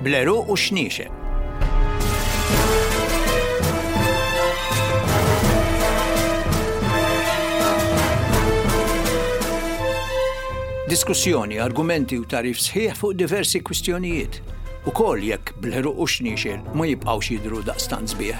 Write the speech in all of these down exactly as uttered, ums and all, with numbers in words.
Bl-għeruq u x-xniexel. Diskussjoni, argumenti u tagħrif sħiħ fuq diversi kwistjonijiet. Ukoll jekk bl-għeruq u x-xniexel ma jibqgħux jidhru daqstant sbieħ.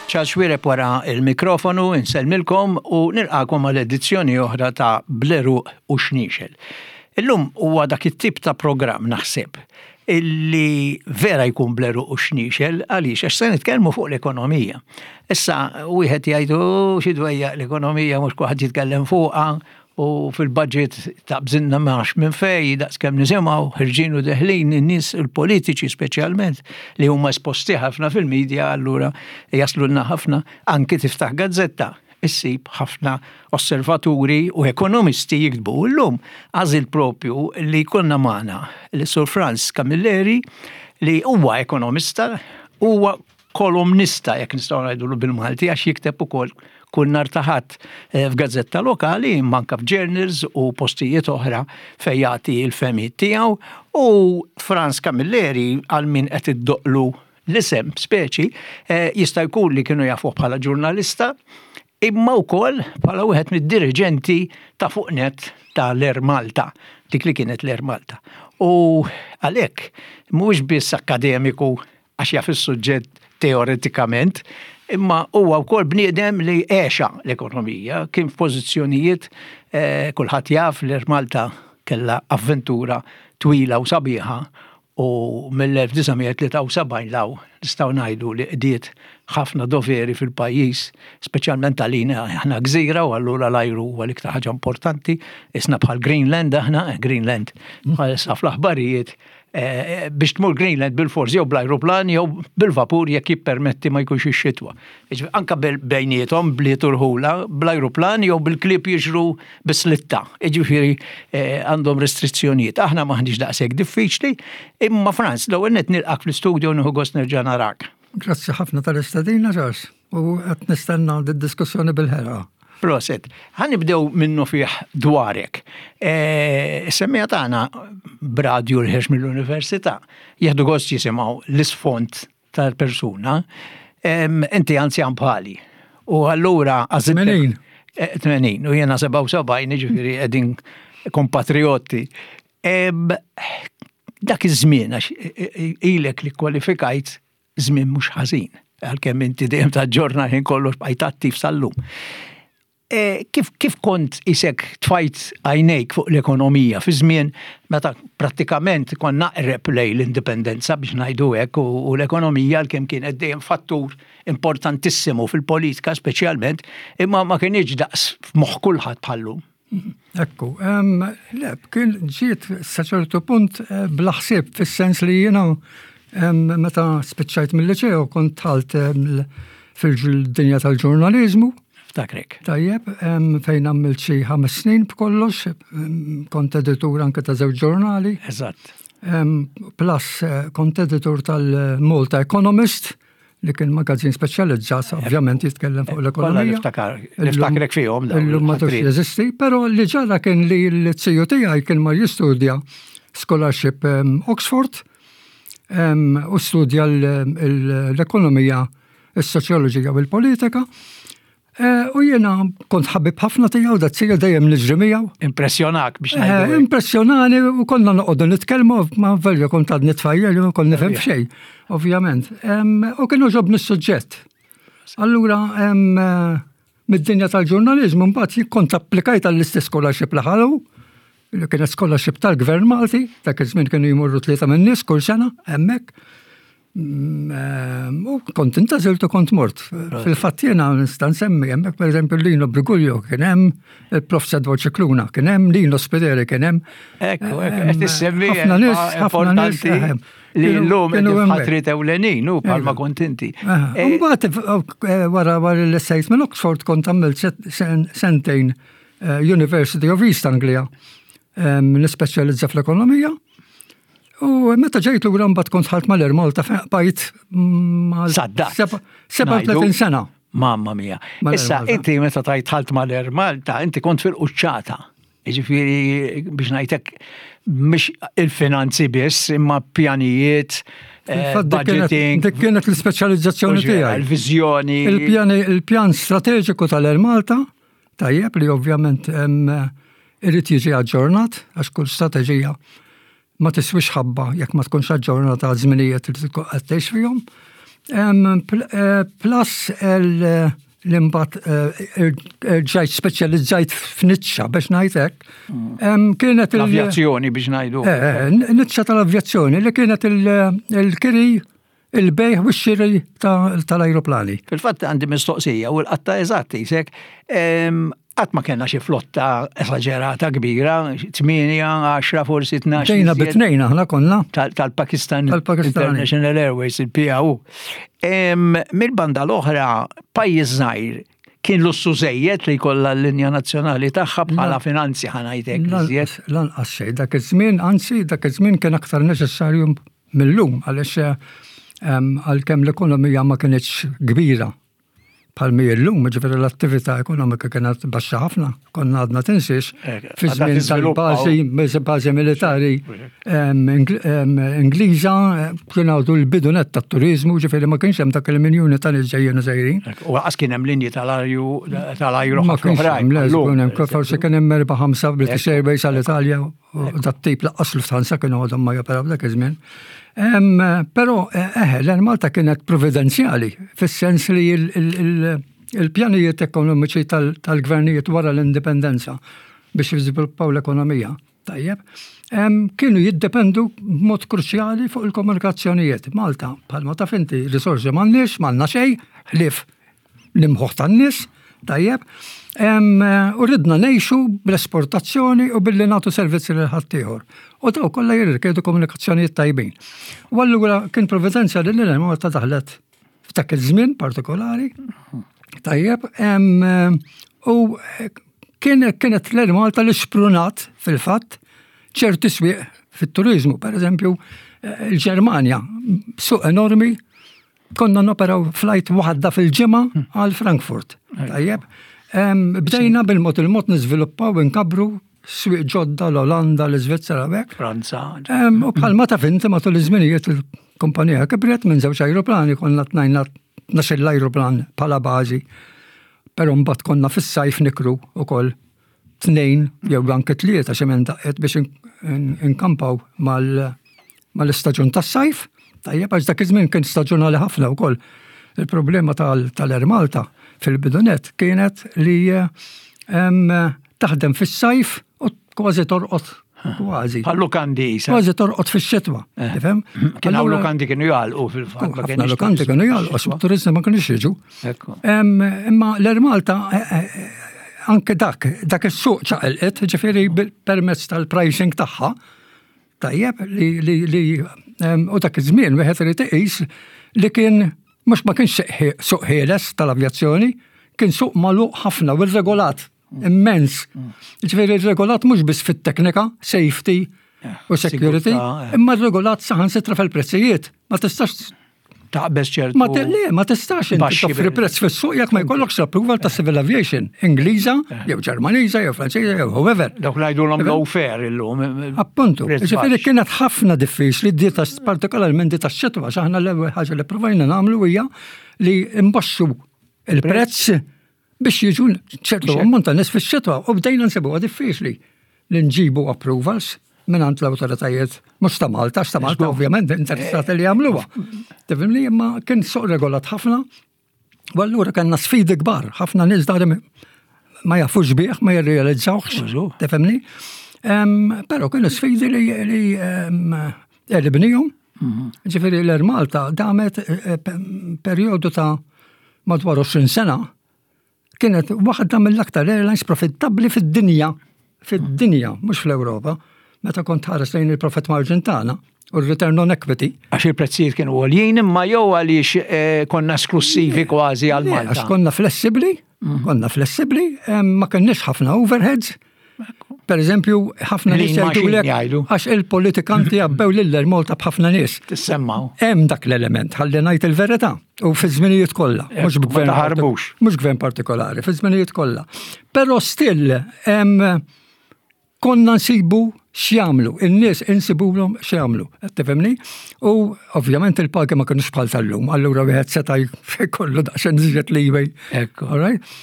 Charles Xuereb wara il-mikrofonu, insellmilkom u nilqakom għal edizzjoni oħra ta' Bl-għeruq u Xniexel. Illum huwa dak it-tip ta' programm naħseb illi vera jkun bl-għeruq u xniexel għaliex għax se nitkellmu fuq l-ekonomija. Issa wieħed jgħidu xi dwejja l-ekonomija mhux kulħadd jitkellem fuqha u fil-budget ta' bżinna max minn fej, daqs kemm nisimgħu, ħirġin u deħlin in-nies il-politiċi speċjalment li huma esposti ħafna fil-medja, allura jaslulna ħafna anki tiftaħ gazzetta issib ħafna osservaturi u ekonomisti jiktbu. Illum għażil propju li konna magħna li Sur Frans Camilleri li huwa ekonomista, huwa kolumnista jekk nistgħu ngħidulu bil-Malti għax jikteb ukoll kull nhar ta' Ħadd f'gazzetta lokali, manka f'journals u postijiet oħra fejn jagħti l-fehmiet tiegħu. U Frans Camilleri għal min qed iddoqlu l-isem speċi jista' jkun li kienu jafuh bħala ġurnalista, imma wkoll bħala wieħed mid-diriġenti ta' fuq net tal-Air Malta, dik li kienet l-Air Malta. U għalhekk mhuwiex biss akademiku għax jaf is-suġġett teoretikament, imma huwa wkoll bniedem li għexa l-ekonomija, kien f'pożizzjonijiet eh, kulħadd jaf l-Air Malta kellha avventura twila u sabiħa u mill-elf disa' mija tlieta u sebgħin law nistgħu ngħidu li qdiet ħafna doveri fil-pajjiż, speċjalment għalina aħna gżira u allura l-ajru huwa l-iktar ħaġa importanti, isna bħal Greenland aħna, Greenland bħalissa fl-aħbarijiet, eh, biex tmur Greenland bil-forsi jew bl-ajruplan jew bil-vapur jekk jippermetti ma jkunx ix-xitwa. Jiġifieri anke bejniethom bliet u rħula bl-ajruplan jew bil-klieb jiġru bis-slitta. Jiġifieri, eh, għandhom restrizzjonijiet. Aħna m'aħniex daqshekk diffiċli, imma Frans, l-ewwel nett nilqak fl-istudio nieħu gost nerġa' narak. Grazzi ħafna tal-istedina, Charles, u qed nistenna d-diskussjoni bil-ħerqa. Proset, ħa nibdew minnu fih dwarek. E, Semmija tagħna b'radju l-ħerx mill-università, jieħdu gost jisimgħu l-isfond tal-persuna. Em, inti anzjan bħali. U allura għażiltek Tmenin. E, tmenin, u jiena sebgħa u sebgħin, jiġifieri qegħdin kompatrioti. Em, dak iż-żmien għax ilek li kwalifikajt żmien mhux ħażin, għalkemm inti dejjem taġġorna ħin kollox bqajt attiv sal-lum. E, kif, kif kont isek tfajt għajnejk fuq l-ekonomija fi żmien meta prattikament konna naqreb lejn l-indipendenza biex ngħidu hekk u, u l-ekonomija għalkemm kienet dejjem fattur importantissimu fil-politika speċjalment, imma ma kienx daqs f'moħħ kulħadd bħallum. Ekku, em, le, kien ġiet sa ċertu punt, eh, bla ħsieb, fis-sens li jiena, em, meta spiċċajt mill-liċeo kont dħalt, em, fil-dinja tal-ġurnaliżmu. Ftakrek. Tajjeb, em, fejn għamilt xi ħames snin b'kollox, em, kont editur anke ta' żewġ ġurnali. Eżatt. Em, plus, eh, kont editur tal-Malta Economist, li kien magazzin speċjalizzat, ovvjament jitkellem fuq Kollha l-ekonomija. niftakar, niftakrek fihom dawn Illum ma tux il-ħatrit. jeżisti, però li ġara kien li l-ziju tiegħi kien mar jistudja scholarship, em, Oxford, em, u studja l-, l-, l-ekonomija, is-soċjoloġija u l-politika. Eh, u jiena kont ħabib ħafna tiegħu, da ziju dejjem niġri miegħu. Impressjonak biex Eh, ngħidu hekk. Impressjonani u konna noqogħdu nitkellmu, ma velja kont għadni tfajjel u kont nifhem Ovvja. xejn, ovvjament. Em, u kienu ġobni s-suġġett. Allura, em, eh, mid-dinja tal-ġurnaliżmu mbagħad kont applikajt għall-istess scholarship li ħalu, li kienet scholarship tal-Gvern Malti, dak iż-żmien kienu jmorru tlieta minn nies kull sena hemmhekk. Mm, u kont intgħażilt u kont mort. Fil-fatt jiena nista' nsemmi hemmhekk, pereżempju, Lino Briguglio kien hemm, il-Profs Edward Scicluna kien hemm, Lino Spiteri kien hemm. Ekku, qed issemmi ħafna nies, ħafna nies li llum qed ħatri ewlenin u bħalma kont inti. Mbagħad eh, wara wara l-essejt minn Oxford kont għamilt sentejn eh, University of East Anglia, nispeċjalizza fl-ekonomija. U meta ġejt lura mbagħad kont dħalt mal-Air Malta, bqajt mal sebgħa u tletin sena. Mamma mia. Issa inti meta tajt dħalt mal-Air Malta, inti kont fil-quċċata. Ġifieri, biex ngħidlek, mhux il-finanzi biss, imma pjanijiet, eh, budgeting. Dik kienet l-ispeċjalizzazzjoni tiegħi. Il-viżjoni. Il-pjan strateġiku tal-Air Malta, tajjeb, li ovvjament irid jiġi aġġornat, għax kull strateġija ma tiswix ħabba jekk ma tkunx aġġornata għal żminijiet li tkun qed tgħix fihom. Eh, plus l-imbat eh, ġajt speċjalizzajt f'niċċa, biex ngħidlek. Mm. Kienet l-avjazzjoni, biex ngħidu. Eh, niċċa tal-avjazzjoni li kienet il-kiri, il-bejgħ u x-xiri tal-ajruplani. Fil-fatt għandi mistoqsija u l-qatta eżatti, sek, qatt ma kellna xi flotta esaġerata kbira, tmienja, għaxra, forsi tnax. Bdejna bit-tnejn aħna konna. Tal-Pakistan International Airways, il-P A U. Mill-banda l-oħra, pajjiż żgħir, kien lussu żejjed li jkollha l-linja nazzjonali tagħha bħala finanzi, ħa ngħidlek? Lanqas xejn, dak iż-żmien, anzi dak iż-żmien kien aktar neċessarju mill-lum, għaliex għalkemm l-ekonomija ma kienx kbira bħal mi llum, ġifieri l-attività ekonomika kienet baxxa ħafna, konna għadna, tinsiex, eh, fi żmien tal-bażi bażi militari Ingliża, kien għadu l-bidu net tat-turizmu, ġifieri ma kienx hemm dak il-miljuni ta' nies ġejjin u sejrin. U għas kien hemm linji tal-arju tal-ajru. Ma kienx hemm, le, forsi kien hemm erba' ħamsa, British Airways għall-Italja u dat-tip, lanqas Lufthansa kienu għadhom ma joperaw dak iż-żmien. Però, eh, l Malta kienet provvidenzjali, fis-sens li il-pjanijiet ekonomiċi tal-gvernijiet wara l-indipendenza biex jiżviluppaw l-ekonomija, tajjeb, kienu jiddependu b'mod kruċjali fuq il-komunikazzjonijiet. Malta, bħalma taf inti, risorsi m'għandniex, m'għandna xejn, ħlief l-imħuħ tan-nies, tajjeb, u ridna ngħixu bl-esportazzjoni u billi nagħtu servizzi lil ħaddieħor. U daw kollha jirrikjedu komunikazzjonijiet tajbin. U allura kien provvidenza li l Malta daħlet f'dak iż-żmien partikolari. Tajjeb, u kien kienet l Malta li xprunat fil-fatt ċerti swieq fit-turizmu, per eżempju, il-Ġermanja, suq enormi, konna noperaw flight waħda fil-ġimgħa għal Frankfurt. Tajjeb, bdejna bil-mod il-mod niżviluppaw, inkabru swieq ġodda, l-Olanda, l-Iżvizzera, hekk. Franza. U bħalma taf inti, matul iż-żminijiet il-kumpanija kibret minn żewġ ajruplani, konna tnajna tnax-il ajruplan bħala bażi. Però mbagħad konna fis-sajf nikru ukoll tnejn jew anke tlieta xi minn daqqiet biex inkampaw mal-istaġun tas-sajf. Tajjeb, għax dak iż-żmien kien staġunali ħafna wkoll. Il-problema tal-Air Malta fil-bidu net kienet li taħdem fis-sajf u kważi torqod, kważi. Bħal lukandi. Kważi torqod fix-xitwa. Eh. Tifhem? Kien hawn lukandi kienu jagħlqu fil-fatt. Ħafna lukandi kienu jagħlqu, turisti ma kienux jiġu. Imma l-Air Malta eh, eh, anke dak, dak is-suq ċaqilqet, ġifieri permezz tal-pricing tagħha, tajjeb, li li u dak iż-żmien wieħed irid iqis li kien mhux ma kienx suq ħieles tal-avjazzjoni, kien suq magħluq ħafna u regolat immens. Ġifieri regolat mhux biss fit-teknika, safety u security, imma regolat saħansitra fil-prezzijiet. Ma tistax taqbeż ċertu. Ma le, ma tistax inti toffri prezz fis-suq jekk ma jkollokx l-approval ta' civil aviation, Ingliża, jew Ġermaniża, jew Franċiża, jew whoever. Dawk ngħidulhom low fare illum. Appuntu. Ġifieri kienet ħafna diffiċli di partikolarment di tax-xitwa, aħna l-ewwel ħaġa li provajna nagħmlu hija li imbaxxu il-prezz biex jiġu ċertu ammont ta' nies fix-xitwa, u bdejna nsibuha diffiċli li nġibu approvals minn l-autoritajiet, mhux ta' Malta, ta' Malta ovvjament interessati li jagħmluha. Tifhimni, imma kien suq regolat ħafna, u allura kellna sfidi kbar, ħafna nies dari ma jafux bih, ma jirrealizzawx, tifhimni. Però kienu sfidi li għelibnihom. Mhm. Ġifieri l-Air Malta damet eh, eh, perjodu ta' madwar għoxrin sena, kienet waħda mill-aktar airlines profittabbli fid-dinja, fid-dinja, mhux fl-Ewropa, meta kont ħares lejn il-profit margin tagħna u l-return on equity. Għax il-prezzijiet kienu għoljin, imma jew għaliex eh, konna esklusivi kważi għal Malta. Għax konna flessibli, mhm. konna flessibli, ma kenniex ħafna overheads. Per eżempju, ħafna nies jgħidu għax il-politikanti għabbew lil Malta b'ħafna nies. Tissemmaw. Hemm dak l-element, ħalli ngħid il-verità, u fi żminijiet kollha, mhux b'gvern ħarbux. Mhux gvern partikolari, fi żminijiet kollha. Però still hemm konna nsibu x'jagħmlu, in-nies insibulhom x'jagħmlu, qed tifhimni? U ovvjament il-pagi ma kinux bħal tal-lum, allura wieħed seta' jkollu daqsxejn iżjed leeway. Ekku. All right?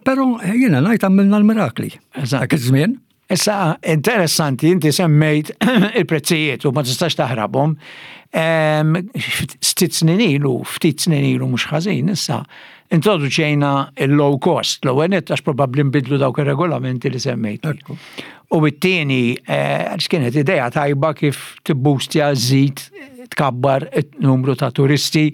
Però jiena ngħid għamilna l-mirakli. Dak iż-żmien. Issa, interessanti, inti semmejt il-prezzijiet u ma tistax taħrabhom. Ftit snin ilu, ftit snin ilu mhux ħażin, issa, introduċejna il-low cost, l-ewwel nett għax probabbli nbidlu dawk ir-regolamenti li semmejt. U it-tieni, eh, għax kienet idea tajba kif tibbustja, żid, tkabbar numru ta' turisti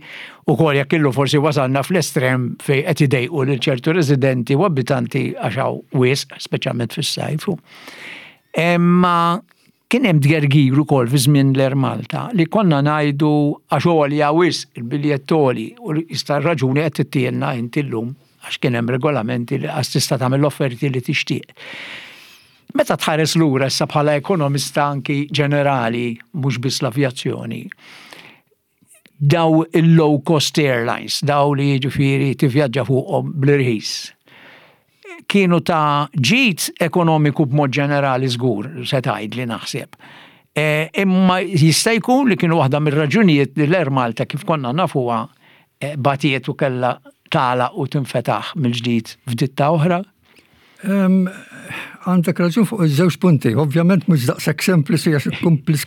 u kol jekk illu forsi wasalna fl-estrem fej qed idejqu lil ċertu residenti u abitanti għax hawn wisq, speċjalment fis-sajf. Imma kien hemm tgergir ukoll fi żmien l-Air Malta li konna ngħidu għax għolja wisq il-biljett għoli, u jista' raġuni qed tittielna inti llum għax kien hemm regolamenti li għax tista' tagħmel l-offerti li tixtieq. Meta tħares lura issa bħala ekonomista anki ġenerali, mhux biss l-avjazzjoni, daw il-low cost airlines, daw li jiġifieri tivvjaġġa fuqhom bl-irħis, kienu ta' ġid ekonomiku b'mod ġenerali żgur, se tgħid li naħseb. E, imma jista' jkun li kienu waħda mir-raġunijiet li l-Air Malta kif konna nafuha e, batiet u kellha tagħlaq u tinfetaħ mill-ġdid f'ditta oħra? Għandek raġun fuq iż-żewġ punti. Ovvjament mhux daqshekk sempliċi għax komplis.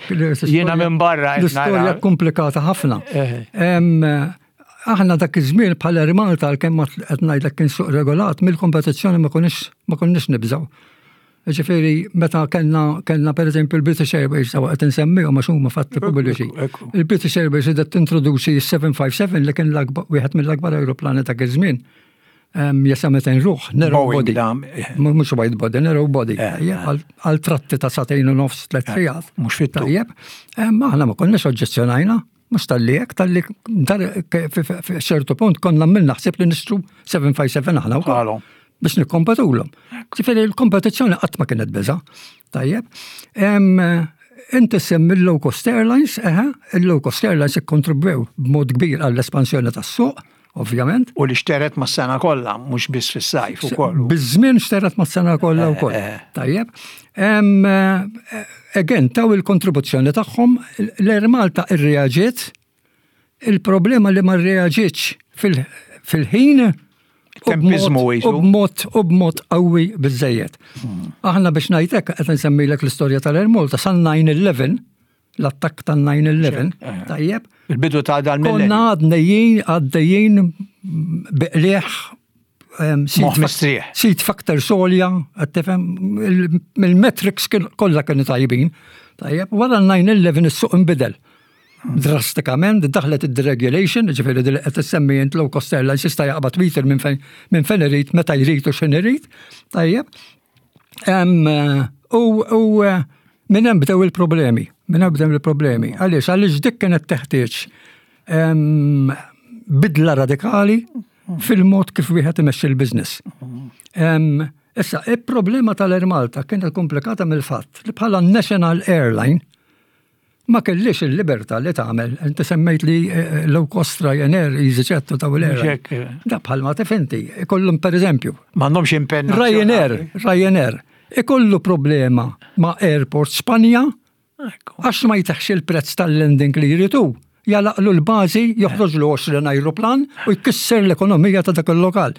Jiena minn barra. L-istorja komplikata ħafna. Aħna dak iż-żmien bħala Air Malta, għalkemm qed ngħidlek kien suq regolat, mill-kompetizzjoni ma konniex ma konniex nibżgħu. Ġifieri meta kellna kellna pereżempju l-British Airways, sawa qed insemmihom għax huma fatti pubbliċi. Il-British Airways qed tintroduċi s-seba' ħamsa seba' li kien wieħed mill-akbar aeroplani dak iż-żmien. Jesa' mitejn ruħ, narrow body. Mhux wide body, narrow body. Għal tratti ta' sagħtejn u nofs, tliet sigħat. Mhux fit. Tajjeb. Aħna ma konniex oġġezzjonajna. Mhux talli hekk, talli ċertu punt konna għamilna ħsieb li nixtru seba' ħamsa seba aħna wkoll biex nikkompetulhom. Ġifieri l-kompetizzjoni qatt ma kienet biża'. Tajjeb. Inti semmi l-low cost airlines, eħe, il-low cost airlines ikkontribwew b'mod kbir għall-espansjoni tas-suq, ovvjament. U li xteret ma' sena kollha, mhux biss fis-sajf ukoll. Biż-żmien xteret ma' sena kollha wkoll. Eh, eh. Tajjeb. Again, taw il-kontribuzzjoni tagħhom, l-Air Malta irreaġiet, il-problema li ma rreaġietx fil-ħin Tempizmu. U b'mod u b'mod qawwi biżejjed. Hmm. Aħna biex ngħidlek qed nsemmilek l-istorja tal-Air Malta san nine eleven, l-attakk tan-nine eleven, eh. tajjeb. Il-bidu ta' dal. Konna għaddejjin għaddejjin bi qligħ. Mistrieħ. Seat factor solja, tifhem, il-metrics kollha kienu tajbin. Tajjeb, wara n-nine eleven is-suq inbidel drastikament, daħlet id-deregulation, ġifieri li qed issemmi int, low cost airlines jista' jaqbad meter minn fejn minn fejn irid, meta jrid u x'in irid. Tajjeb. U minn hemm bdew il-problemi, minn hemm bdew il-problemi. Għaliex? Għaliex dik kienet teħtieġ bidla radikali fil-mod kif wieħed imexxi l-business. Issa, il-problema tal-Air Malta kienet komplikata mill-fatt li bħala National Airline ma kellix il-libertà li tagħmel. Inti semmejt li eh, low cost Ryanair, EasyJet u taw l-air. Da bħalma tifhem inti, ikollhom per eżempju. M'għandhomx impenn. Ryanair, Ryanair, ikollu problema ma' Airport Spanja għax ma jtihx il-prezz tal-landing li jridu. Jagħlaqlu l-bażi, joħroġlu għoxrin aeroplan u jkisser l-ekonomija ta' dak il-lokal.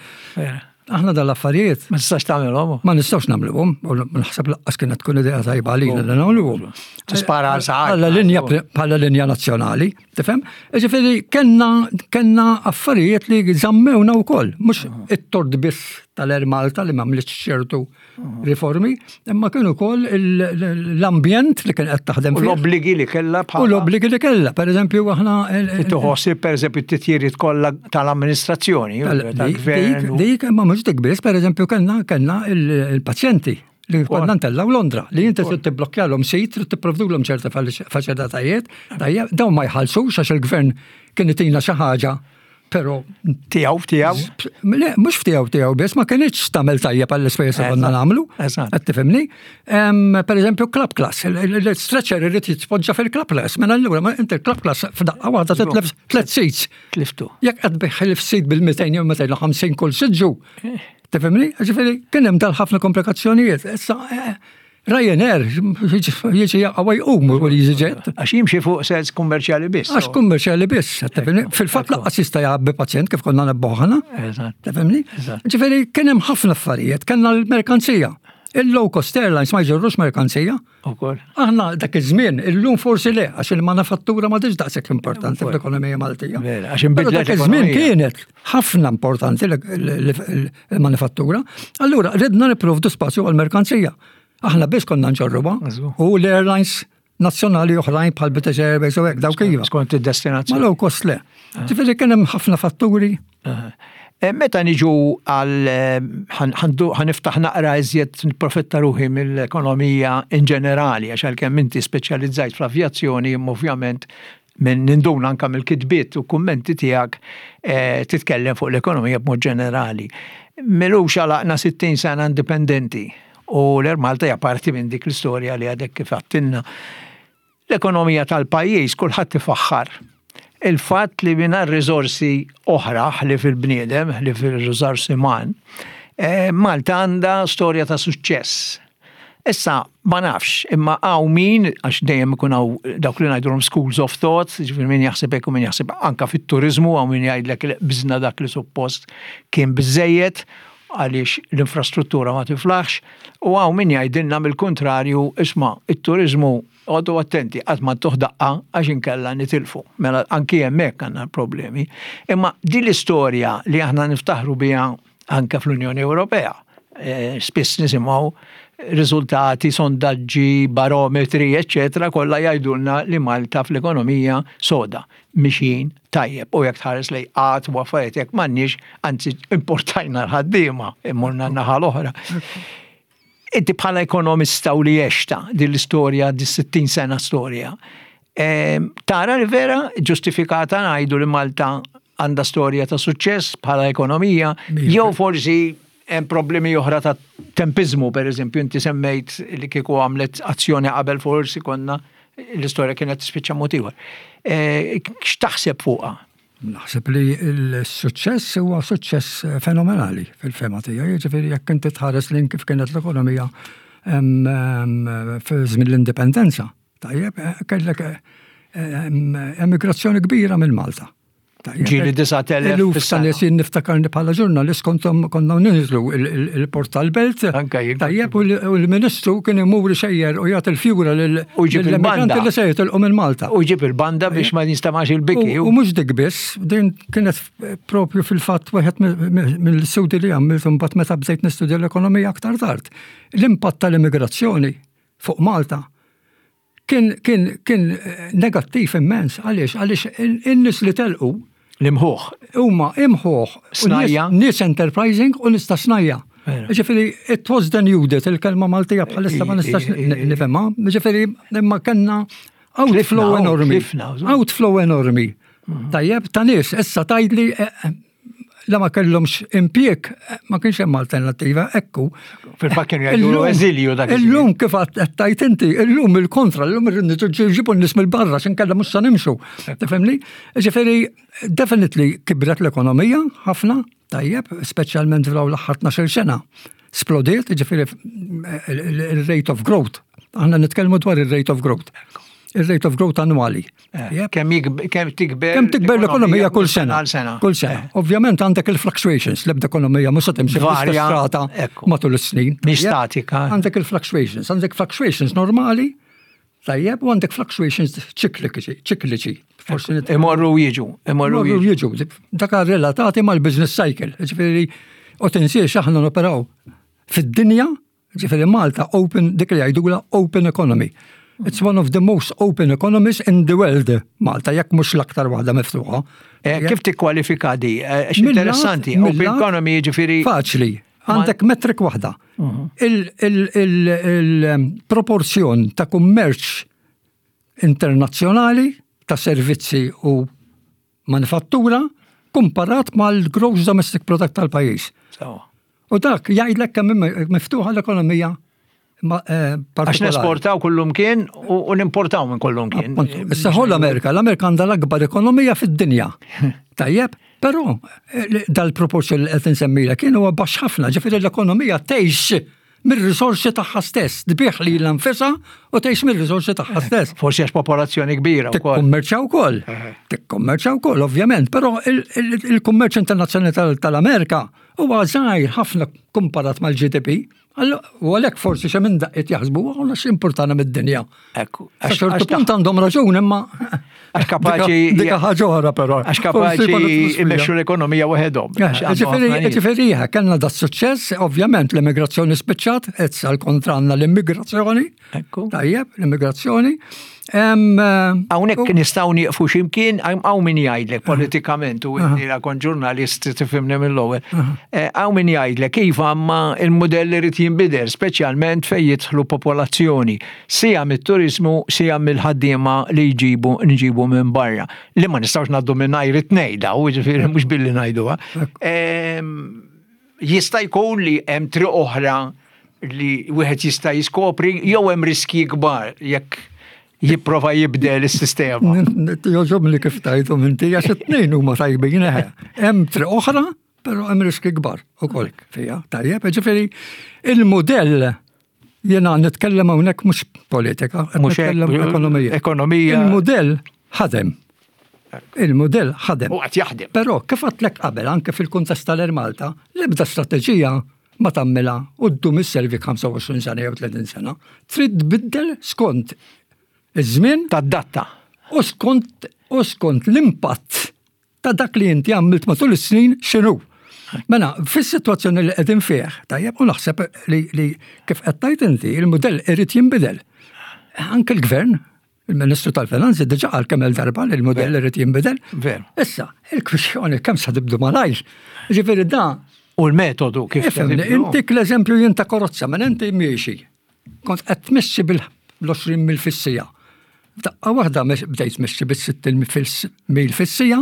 Aħna dal-affarijiet. Ma tistax tagħmelhom. Ma nistgħux nagħmluhom, u naħseb laqqas kienet tkun idea tajba għalina li nagħmluhom. Tispara għal saħħa. Bħala linja bħala linja nazzjonali, tifhem? Ġifieri kellna kellna affarijiet li żammewna wkoll, mhux it-tort biss tal-Air Malta li m'għamlitx ċertu riformi, imma kienu wkoll l-ambjent li kien qed taħdem U fih. l-obbligi li kellha U bħala. l-obbligi li kellha, per eżempju, aħna Tħossib per eżempju t-titjiriet kollha tal-amministrazzjoni, tal-gvern. Dik, dik, imma mhux dik biss, per eżempju, kellna kellna il-pazjenti li konna ntellaw Londra, li inti trid tibblokkjalhom sit, trid tipprovdulhom ċerta faċilitajiet, tajjeb, dawn ma jħallsux għax il-gvern kien itina xi ħaġa, però Tiegħu tiegħu. Le, mhux ftiegħu tiegħu biss, ma kienx tagħmel tajjeb għall-ispejjeż li konna nagħmlu. Eżatt. Qed tifhimni? Em, Per eżempju, club class, il-stretcher irid jitpoġġa fil-club class, mela allura ma inti il-club class f'daqqa waħda titlef tliet seats. Tliftu. Jekk qed tbigħ il-seat bil-mitejn jew mitejn u ħamsin kull siġġu. Tifhimni? Ġifieri kien hemm dal ħafna komplikazzjonijiet. Issa eh, Ryanair jiġi jaqa' jqum u EasyJet. Għax jimxi fuq sens kummerċjali biss. Għax kummerċjali biss, tifhimni? Fil-fatt lanqas jista' jgħabbi pazjent kif konna nebboħna. Eżatt. Tifhimni? Eżatt. Ġifieri kien hemm ħafna affarijiet, kellna l-merkanzija. Il-low cost airlines ma jġorrux merkanzija. Ukoll. Aħna dak iż-żmien, illum forsi le, għax il-manifattura ma diġ daqshekk importanti fl-ekonomija Maltija. Vera, għax inbidlet Però dak iż-żmien l-ekonomija. kienet ħafna importanti l-manifattura. Allura ridna nipprovdu spazju għal-merkanzija. Aħna biss konna nġorruha Żgur. u l-airlines nazzjonali oħrajn bħal British Airways u hekk dawk iva. Skont Ma id-destinazzjoni. low cost le. Ġifieri kien hemm ħafna fatturi. Eh, Meta niġu għal eh, ħan- ħandu- ħaniftaħ naqra iżjed nipprofitta ruħi mill-ekonomija in ġenerali, għax għalkemm inti speċjalizzajt fl-avjazzjoni, imma ovvjament minn ninduna anka mill-kitbiet u kummenti tiegħek eh, titkellem fuq l-ekonomija b'mod ġenerali. M'ilux għalaqna sittin sena indipendenti u l-Air Malta hija parti minn dik l-istorja li għadek kif għattilna. L-ekonomija tal-pajjiż kulħadd ifaħħar. Il-fatt li mingħajr riżorsi oħra li fil-bniedem, li fil-riżorsi uman, eh, Malta għandha storja ta' suċċess. Issa, ma nafx, imma hawn min, għax dejjem ikun hawn dawk li ngħidulhom schools of thought, ġifieri min jaħseb hekk u min jaħseb anka fit-turizmu, hawn min jgħidlek li biżna dak li suppost kien biżejjed għaliex l-infrastruttura ma tiflaħx, u hawn min jgħidilna mill-kontrarju, isma' it-turizmu għodu attenti, qatt ma tuh daqqa għax inkella nitilfu. Mela anki hemmhekk għandna problemi. Imma din l-istorja li aħna niftaħru biha anke fl-Unjoni Ewropea, eh, spiss nisimgħu riżultati, sondaġġi, barometri, eccetera, kollha jgħidulna li Malta fl-ekonomija soda, mixjin tajjeb, u jekk tħares lejn qgħad u affarijiet jekk m'għandniex, anzi importajna l-ħaddiema, immurna n-naħa l-oħra. Inti bħala ekonomista u li għexta din l-istorja, di sittin sena storja, em, tara li vera ġustifikata ngħidu li Malta għandha storja ta' suċċess bħala ekonomija, Mija. jew forsi hemm problemi oħra ta' tempizmu, per eżempju, inti semmejt li kieku għamlet azzjoni qabel forsi konna l-istorja kienet tispiċċa mod ieħor. Eh, X'taħseb fuqha? Naħseb li l-suċċess huwa suċċess fenomenali fil-fehma tiegħi, jiġifieri jekk inti tħares lejn kif kienet l-ekonomija em, em, fi żmien l-indipendenza. Tajjeb, eh, kellek eh, em, emigrazzjoni kbira minn Malta. Tajjeb, Ġieli disat elef Eluf ta' fis-sena. nies jien niftakarni bħala ġurnalist kontom konna ninżlu il-port tal-belt. Anka jien. Tajjeb, u l- u l-ministru kien imur xejjer u jagħti l-fjura lil U jġib il-banda. lill-emigranti li se jitilqu minn Malta. U jġib il-banda biex ma jinstamax il-biki. U u mhux dik biss, din kienet propju fil-fatt wieħed mill-studi li għamilt imbagħad meta bdejt nistudja l-ekonomija aktar tard. L-impatt tal-immigrazzjoni fuq Malta kien kien kien eh, negattiv immens. Għaliex? Għaliex in-nies li telqu L-imħuħ. huma imħuħ u Snajja. nies- nies enterprising u nies ta' snajja. Vera. Ġifieri, it was denuded, il-kelma Maltija bħalissa ma nistax I- i- i- nifhemha. Ġifieri, imma kellna outflow Tlifna, enormi. tlifna, żgur. Outflow enormi. Tajjeb, ta' nies, issa tgħidli eh, eh, la ma kellhomx impjieg, eh, ma kienx hemm alternattiva, ekku. Fil-fatt kienu jgħidu Illum- eżilju dak iż-żmien. Illum kif qed tajt inti, illum il-kontra, illum irridu ġibu n-nies mill-barra, x'inkella mhux se nimxu. Tifhimni? Ġifieri, definitely kibret l-ekonomija ħafna, tajjeb, speċjalment f'dawn l-aħħar tnax-il sena. Splodiet, ġifieri il-rate of growth. Aħna nitkellmu dwar il-rate of growth. Il-rate of growth annwali. Eh, Tajjeb. Kemm jikb- kemm tikber Kemm tikber l-ekonomija kull sena. Għal sena. Kull sena. Eh, Ovvjament għandek il-fluctuations, l-ebda ekonomija mhux se timxi fl-istess Varja, rata ekku. matul is-snin. Mhix Tajjeb? statika. Għandek il-fluctuations, għandek fluctuations normali, Tajjeb, u għandek fluctuations ċikliċi, ċikliċi. Forsi Imorru jiġu, imorru jiġu. jiġu. Dak relatati mal-business cycle. Ġifieri, u tinsiex aħna noperaw fid-dinja, ġifieri Malta open, dik li jgħidula open economy. It's one of the most open economies in the world, Malta, jekk mhux l-aktar waħda miftuħa. Eh, Kif tikkwalifika di? Eh, Għax interessanti, open economy ġifieri. Faċli, għandek metric waħda. Il-proporzjon ta' kummerċ internazzjonali ta' servizzi u manifattura komparat mal-gross domestic product tal-pajjiż. Sawa. U dak jgħidlek kemm miftuħa l-ekonomija ma- eh, Għax partikolari. nesportaw kullumkien u u nimportaw minn kullumkien. Appunto. Issa ħu l-Amerika, l-Amerika għandha l-akbar ekonomija fid-dinja. Tajjeb, però eh, dal-proporzjon li qed insemmilek kien huwa baxx ħafna, ġifieri l-ekonomija tgħix mir-risorsi tagħha stess, tbigħ lilha nfisha u tgħix mir-risorsi tagħha stess. Forsi għax popolazzjoni kbira wkoll. Tikkummerċa wkoll. Tikkummerċa wkoll, ovvjament, però il- il- il-kummerċ internazzjonali tal- tal-Amerika huwa żgħir ħafna komparat mal-G D P. U għalhekk forsi xi minn daqqiet jaħsbu għana x'importana mid-dinja. Ekku. Sa ċertu punt għandhom raġun, imma Għax kapaċi- Dika ħaġa oħra però. Għax Forsi ma kapaċi nidħlux fiha. immexxu l-ekonomija waħedhom. Għax għandhom Ġifieri, ħafna nies. ġifieri, ija, kellna da suċċess, ovvjament l-immigrazzjoni spiċċat, issa l-kontra għandna l-immigrazzjoni. Ekku. Tajjeb, l-immigrazzjoni. Em, eh, Hawnhekk nistgħu nieqfu x'imkien, hawn min jgħidlek politikament, u inti la kont ġurnalist tifhimni mill-ewwel. Eh, Hawn min jgħidlek iva, ma il-modell irid jinbidel, speċjalment fejn jidħlu popolazzjoni, sija mit-turizmu, sija mill-ħaddiema li jġibu nġibu minn barra. Li ma nistgħux ngħaddu minn it-tnejn daw, ġifieri mhux billi ngħiduha. Ehm, Jista' jkun li hemm triq oħra li wieħed jista' jiskopri jew hemm riski kbar jekk jipprova jibdel is-sistema? Jogħġobni kif tajtu inti, għax it-tnejn huma tajbin eħe. Hemm triq oħra, però hemm riski kbar ukoll fija. Tajjeb, ġifieri il-modell, jiena nitkellem hawnhekk mhux politika, qed Mhux hekk, nitkellem ekonomija. Ekonomija. Il-modell ħadem. Il-modell ħadem. U qed jaħdem. Però kif għedtlek qabel, anke fil-kuntest tal-Air Malta, l-ebda strateġija ma tagħmilha u ddum isservi ħamsa u għoxrin sena jew tletin sena. Trid tbiddel skont iż-żmien Tadatta. u skont u skont l-impatt ta' dak li inti għamilt matul is-snin x'inhu. Mela, fis-sitwazzjoni li qegħdin fih, tajjeb, u naħseb li, li kif qed tgħid inti, il-mudell irid jinbidel. Anke l-gvern, il-Ministru tal-Finanzi diġà qal kemm il-darba li l-mudell irid jinbidel. Veru. Issa, il-kwistjoni kemm sa tibdu malajr. Ġifieri da, U l-metodu kif ifhimni, tibdu. intik l-eżempju jien ta' karozza, minn inti miexi. Kont qed tmexxi bil-għoxrin mil fis-siegħa. Daqqa waħda bdejt tmexxi bis-sittin mil fis-siegħa,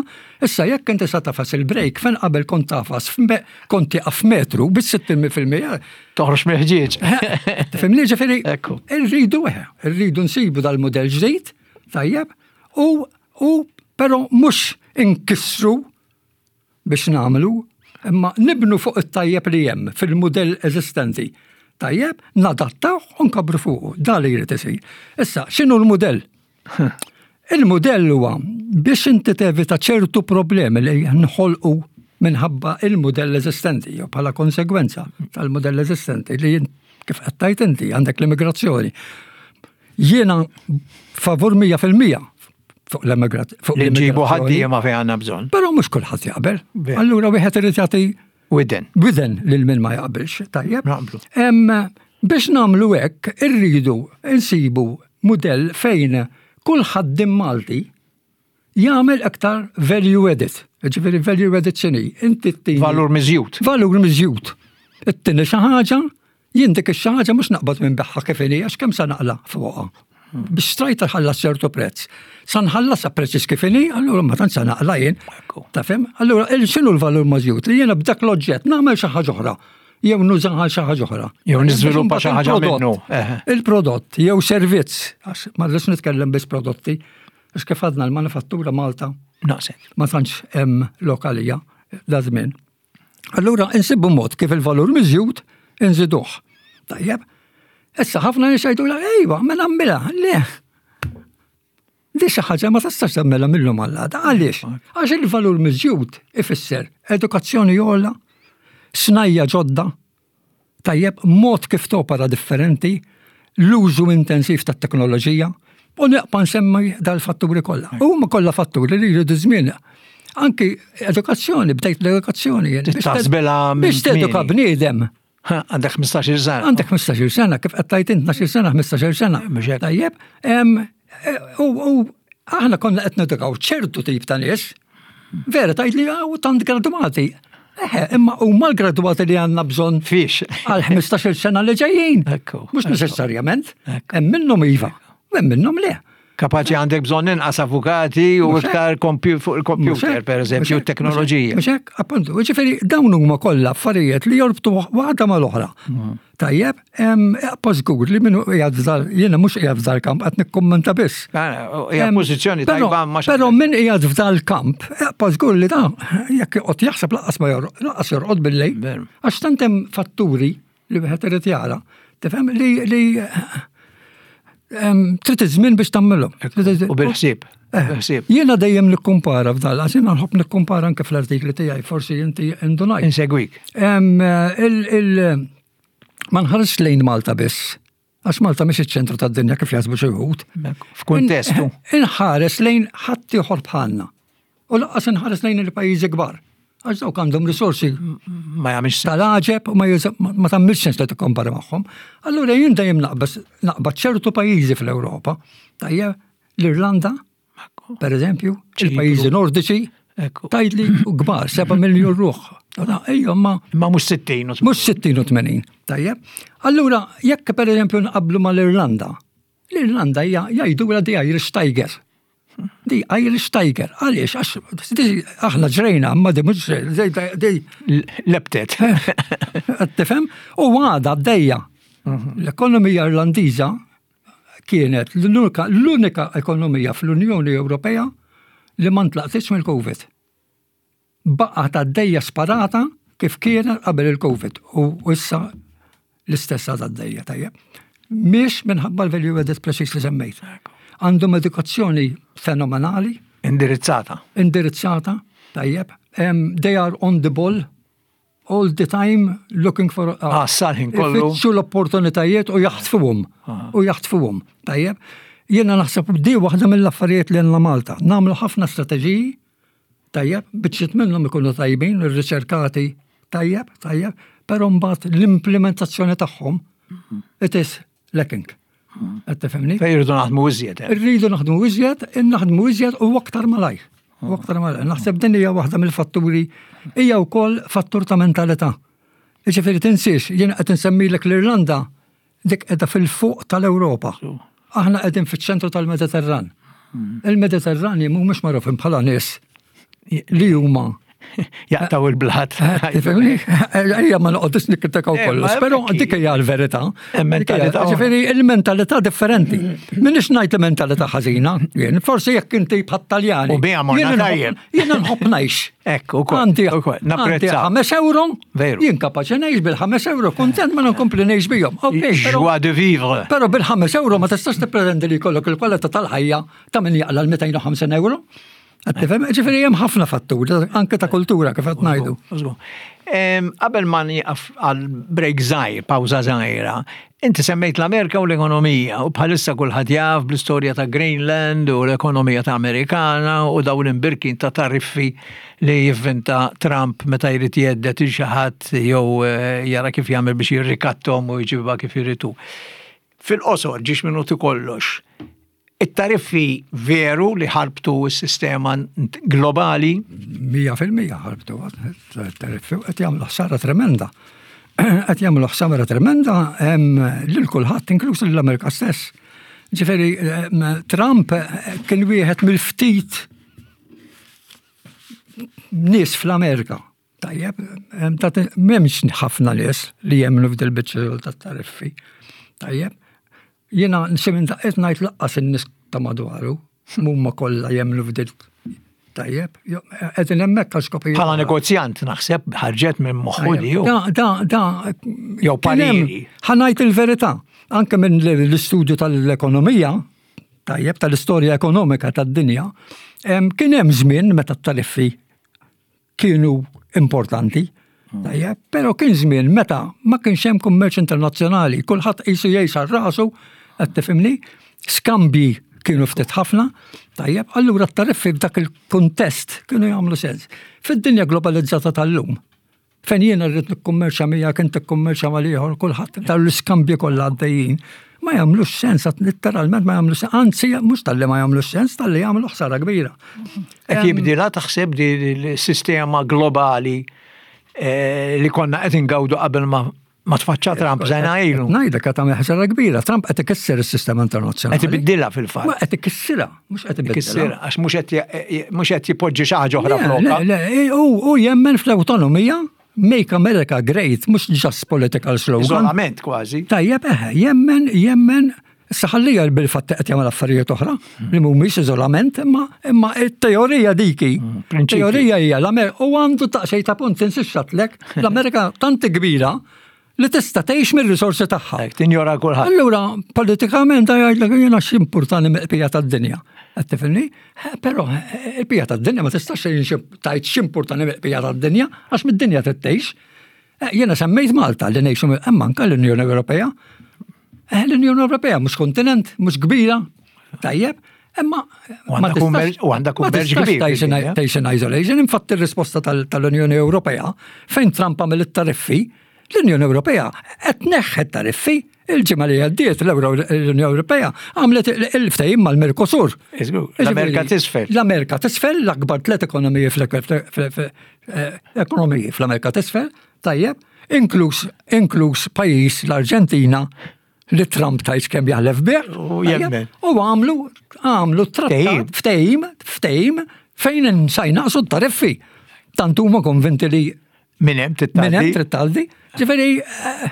issa jekk inti sa tagħfas il-brake, fejn qabel kont tagħfas kont tieqaf metru bis-sittin mil fil-mija. Toħroġ mill-ħġieġ. Tifhimni, ġifieri, Ekku. irridu eħe, irridu nsibu dal-modell ġdid, tajjeb, u u però mhux inkissru biex nagħmlu, imma nibnu fuq it-tajjeb li hemm fil-modell eżistenti. Tajjeb, nadattaw u nkabru fuqu, da li jrid isir. Issa, x'inhu l-modell? Il-modell huwa biex inti tevita ċertu problemi li nħolqu minħabba il-modell eżistenti, jew bħala konsegwenza tal-modell eżistenti li kif qed tgħid inti għandek l-immigrazzjoni. Jiena favur mija fil-mija fuq l-immigrazzjoni. Li nġibu ħaddiema fejn għandna bżonn. Però mhux kulħadd jaqbel. Ver. Allura wieħed irid jagħti Widen. widen lil min ma jaqbilx, tajjeb. Naqblu. Em, biex nagħmlu hekk, irridu nsibu mudell fejn kull ħaddiem Malti jagħmel aktar value added. Ġifieri value added x'inhi? Inti ttini Valur miżjud. Valur miżjud. Ittini xi ħaġa, jien dik ix-xi ħaġa mhux naqbad minn beħħa kif inhi, għax kemm sa naqla fuqha. Biex strajta ħallas ċertu prezz. Sa nħallas prezz kif inhi, allura ma tantx sa naqla jien. Ekku. Tafhem? Allura il- x'inhu l-valur miżjud? Li jiena b'dak l-oġġett nagħmel xi ħaġa oħra. Jew nużaha xi ħaġa oħra. Jew niżviluppa xi ħaġa Il-prodott- minnu. Eħe. Il-prodott jew servizz, għax ma rridx nitkellem biss prodotti, għax kif għadna l-manifattura Malta Naqset. ma tantx hemm lokalija da żmien. Allura insibu mod kif il-valur miżjud inżiduh. Tajjeb, issa ħafna nies jgħidu la ejwa, ma nagħmilha, le. Di xi ħaġa ma tistax tagħmilha mill-lum għal Għaliex? Għax il-valur miżjud ifisser edukazzjoni ogħla, snajja ġodda, tajjeb, mod kif topera differenti, l-użu intensiv tat-teknoloġija. U nibqa' nsemmi dal-fatturi kollha. Huma kollha fatturi li jridu żmien. Anki edukazzjoni, bdejt l-edukazzjoni. Biex teduka bniedem. Għandek ħmistax-il sena. Għandek ħmistax-il sena, kif qed tgħid int tnax-il sena, ħmistax-il sena. Tajjeb, u aħna konna qed nedukaw ċertu tip ta' nies, vera tgħid li hawn tant gradwati. Eħe, imma huma l-gradwati li għandna bżonn fiex għal ħmistax-il sena li ġejjin. Mhux neċessarjament. Hemm minnhom iva, hemm minnhom le. Kapaċi għandek bżonn inqas avukati u iktar fuq il-computer, per eżempju, teknoloġija. Mhux hekk, appuntu, ġifieri dawn huma kollha affarijiet li jorbtu waħda mal-oħra. Tajjeb, pa żgur li minnu qiegħed f'dal, jiena mhux qiegħed f'dal kamp qed nikkummenta biss. Hija pożizzjoni tajba ma Però min qiegħed f'dal kamp, pa żgur li da jekk joqgħod jaħseb lanqas ma lanqas jorqod bil-lejl. Għax tant hemm fatturi li wieħed irid jara, tifhem li li trid iż-żmien biex tagħmilhom. U bil-ħsieb. Jiena dejjem nikkumpara f'dal, għax jiena nħobb nikkumpara anke fl-artikli tiegħi, forsi inti indunajt. Insegwik. Ma nħares lejn Malta biss, għax Malta mhix iċ-ċentru tad-dinja kif jaħsbu xi wħud. F'kuntestu. Inħares lejn ħadd ieħor bħalna. U lanqas inħares lejn il-pajjiżi kbar. Għax dawk għandhom risorsi ma jagħmilx tal-għaġeb u ma tagħmilx sens li tikkompara magħhom. Allura jien dejjem naqbad ċertu pajjiżi fl-Ewropa, tajjeb, l-Irlanda, per eżempju, il-pajjiżi nordiċi, tgħidli kbar, seba' miljun ruħ. Ejja, ma Ma mhux sittin u Mhux sittin u tmenin, tajjeb. Allura, jekk per eżempju nqablu mal-Irlanda, l-Irlanda hija jgħidulha the Irish Tiger. The Irish Tiger, għaliex, għax aħna ġrejna, ma di mhux di Lebtet. Tifhem? U għada għaddejja. L-ekonomija Irlandiża kienet l-unika ekonomija fl-Unjoni Ewropea li ma ntlaqtitx mill-Covid. Baqgħet għaddejja sparata kif kienet qabel il-Covid u issa l-istess għaddejja tajjeb. Mhix minħabba l-value added preċiż li semmejt. Għandhom edukazzjoni fenomenali. Indirizzata. Indirizzata, tajjeb. Um, they are on the ball all the time looking for... Ah, sal-ħin kollu. Ifittxu l-opportunitajiet u jaħtfuhom. U jaħtfuhom, tajjeb. Jiena naħseb di waħda mill-affarijiet li għandna Malta. Nagħmlu ħafna strateġiji, tajjeb, biċċiet minnhom ikunu tajbin, irriċerkati, tajjeb, tajjeb, però mbagħad l-implementazzjoni tagħhom it is lacking. Qed tifhimni? Fejn irridu naħdmu iżjed. Irridu naħdmu iżjed, naħdmu iżjed u aktar malajr. U aktar malajr. Naħseb din hija waħda mill-fatturi, hija wkoll fattur ta' mentalità. Jiġifieri tinsiex, jien qed insemmilek l-Irlanda dik qiegħda fil-fuq tal-Ewropa. Aħna qegħdin fiċ-ċentru tal-Mediterran. Il-Mediterrani mhumiex magħrufin bħala nies li huma jaqtaw il-blat. Tifhimni? Ejja ma noqgħodux nikkritikaw kollox, però dik hija l-verità. Mentalità. Ġifieri il-mentalità differenti. M'iniex ngħid li mentalità ħażina, jien forsi jekk inti bħat-Taljani. U biha morna tajjeb. Jiena nħobb ngħix. Ekku, ukoll. Għandi Napprezza. ħames euro, Veru. jien kapaċi ngħix bil-ħames euro, kontent ma nkompli ngħix bihom. Joie de vivre. Però bil-ħames euro ma tistax tippretendi li jkollok il-kwalità tal-ħajja ta' min jaqla' l-mitejn u ħamsin euro. Tifhem, ġifieri hemm ħafna fatturi, anke ta' kultura kif qed ngħidu. Qabel ma nieqaf għal break żgħir, pawża żgħira, inti semmejt l-Amerika u l-ekonomija u bħalissa kulħadd jaf bl-istorja ta' Greenland u l-ekonomija ta' Amerikana u dawn l-imbirkin ta' tariffi li jivvinta Trump meta jrid jhedded il xi ħadd jew jara kif jagħmel biex jirrikattom u jġibha kif iridu. Fil-qosor, ġiex minuti kollox, it-tariffi veru li ħarbtu s-sistema globali? Mija fil-mija ħarbtu tariffi qed jagħmlu ħsara tremenda. Qed jagħmlu ħsara tremenda lil kulħadd inkluż lill-Amerika stess. Ġifieri Trump kien wieħed mill-ftit nies fl-Amerika. Tajjeb, m'hemmx ħafna nies li jemmnu f'dil biċċa tat-tariffi. Tajjeb, jiena xi minn daqqiet ngħid lanqas in-nies ta' madwaru, mhuma kollha jemmnu f'dil. Tajjeb, qegħdin hemmhekk għal skopijiet. Bħala negozjant naħseb ħarġet minn moħħu li hu. Da, da, da. Jew pariri. Ħa ngħid il-verità, anke minn l-istudju tal-ekonomija, tajjeb, tal-istorja ekonomika tad-dinja, kien hemm żmien meta t-tariffi kienu importanti, tajjeb, però kien żmien meta ma kienx hemm kummerċ internazzjonali, kulħadd qisu jgħix għal rasu, qed tifhimni, skambji Kienu ftit ħafna, tajjeb, allura t-tariffi f'dak il-kuntest kienu jagħmlu sens. Fid-dinja globalizzata tal-lum, fejn jiena rrid nikkummerċa miegħek, inti tikkummerċa mal-ieħor, kulħadd dawn l-iskambji kollha għaddejjin, ma jagħmlux sens, literalment ma jagħmlux sens, anzi mhux talli ma jagħmlux sens, talli jagħmlu ħsara kbira. Qed jibdilha taħseb di l-sistema globali eh, li konna qed ingawdu qabel ma ma tfaċċa Trump sena ilu. Ngħidlek qed tagħmel ħsara kbira, Trump qed ikisser is-sistema internazzjonali. Qed ibiddilha fil-fatt. Ma qed ikissirha, mhux qed ibiddilha. Ikissirha għax mhux qed mhux qed jipoġġi xi ħaġa oħra Le, flokha. le, le, u jemmen fl-autonomija, "Make America Great", mhux just political slogan. Iżolament kważi. Tajjeb, eħe, jemmen, jemmen, saħallija bil-fatt qed jagħmel affarijiet oħra li mhumiex iżolament, imma imma it-teorija diki. Prinċipju. Teorija hija l-Amerika u għandu taqxej ta' punt tinsixxatlek, l-Amerika tant kbira li tista' tgħix mir-risorsi tagħha. Hekk, tinjora kulħadd. Allura, politikament jgħidlek jiena x'importani mill-bqija tad-dinja. Qed tifhimni? Eh, Però eh, il-bqija tad-dinja ma tistax tgħid x'importani mill-bqija tad-dinja għax mid-dinja trid tgħix. Eh, Jiena semmejt Malta li ngħixu imma anke l-Unjoni Ewropea. Eh, L-Unjoni Ewropea mhux kontinent, mhux kbira, tajjeb, imma U għandha kummerċ- u għandha kummerċ kbir fid-dinja. Tgħix in isolation, infatti ir-risposta tal- tal-Unjoni Ewropea fejn Trump għamel it-tariffi, l-Unjoni Ewropea qed tneħħi tariffi. Il-ġimgħa li għaddiet l-Unjoni Ewropea għamlet il-ftehim mal-Mercosur. Iżgur, l-Amerika t'isfel. L-Amerika t'isfel, l-akbar tliet ekonomiji fl-ekonomiji fl-Amerika t'isfel, tajjeb, inkluż inkluż pajjiż l-Arġentina li Trump tajt kemm jaħlef bih. U tajjeb, jemmen. U għamlu għamlu trattat ftehim, ftehim fejn sa jnaqsu t-tariffi. Tant huma konvinti li Minn hemm minn hemm trid tgħaddi. trid tgħaddi. Ġifieri eh,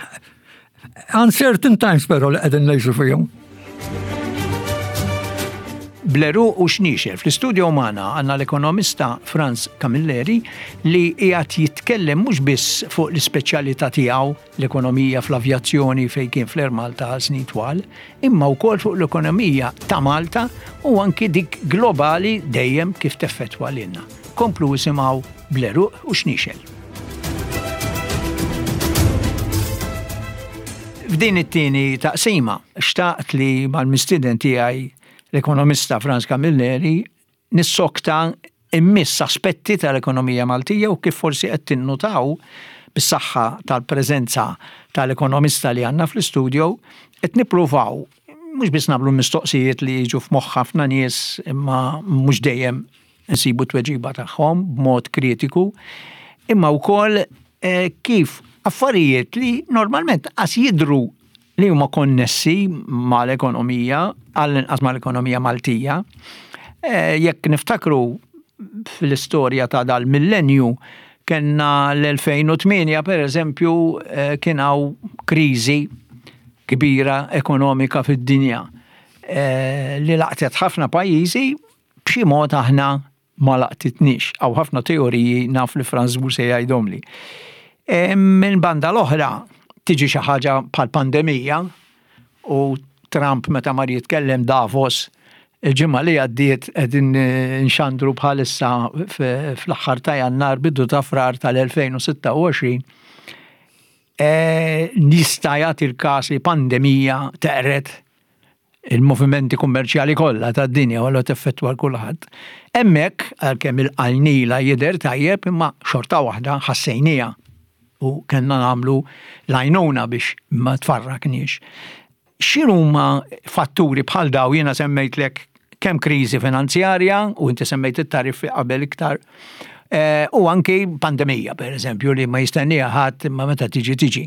uncertain times però li qegħdin ngħixu fihom. Bl-għeruq u xniexel. Fl-istudio magħna għandna l-ekonomista Frans Camilleri li qiegħed jitkellem mhux biss fuq l-ispeċjalità tiegħu, l-ekonomija fl-avjazzjoni fejn kien fl-Air Malta għal snin twal, imma wkoll fuq l-ekonomija ta' Malta u anki dik globali dejjem kif teffettwa lilna. Komplu isimgħu Bl-għeruq u xniexel. F'din it-tieni taqsima, xtaqt li mal-mistieden tiegħi, l-ekonomista Frans Camilleri, nissokta immiss aspetti tal-ekonomija Maltija u kif forsi qed tinnutaw bis-saħħa tal-preżenza tal-ekonomista li għandna fl-istudio qed nippruvaw mhux biss nagħmlu mistoqsijiet li jiġu f'moħħ ħafna nies imma mhux dejjem nsibu tweġiba tagħhom b'mod kritiku, imma wkoll eh, kif affarijiet li normalment qas jidru li huma konnessi mal-ekonomija, għall-inqas mal-ekonomija Maltija. Eh, Jekk niftakru fl-istorja ta' dal-millenju, kellna l-elfejn u tmienja per eżempju, eh, kien hawn kriżi kbira ekonomika fid-dinja eh, li laqtet ħafna pajjiżi, b'xi mod aħna ma laqtitniex. Hawn ħafna teoriji, naf li Frans żgur se jgħidhom li. E, Minn banda l-oħra tiġi xi ħaġa bħal pandemija u Trump meta mar jitkellem Davos il-ġimgħa li għaddiet, qegħdin eh, nxandru bħalissa f- fl-aħħar ta' Jannar, bidu ta' Frar tal-elfejn u sitta u għoxrin, e, nista' jagħti l-każ li pandemija teqred il-movimenti kummerċjali kollha tad-dinja u allura teffettwa l kulħadd. Hemmhekk għalkemm il-qalnila jidher tajjeb, imma xorta waħda ħassejnija u kellna nagħmlu l-għajnuna biex ma tfarrakniex. X'inhuma fatturi bħal daw? Jiena semmejtlek kemm kriżi finanzjarja u inti semmejt it-tariffi qabel iktar eh, u anki pandemija per eżempju li ma jistennija ħadd imma meta tiġi tiġi.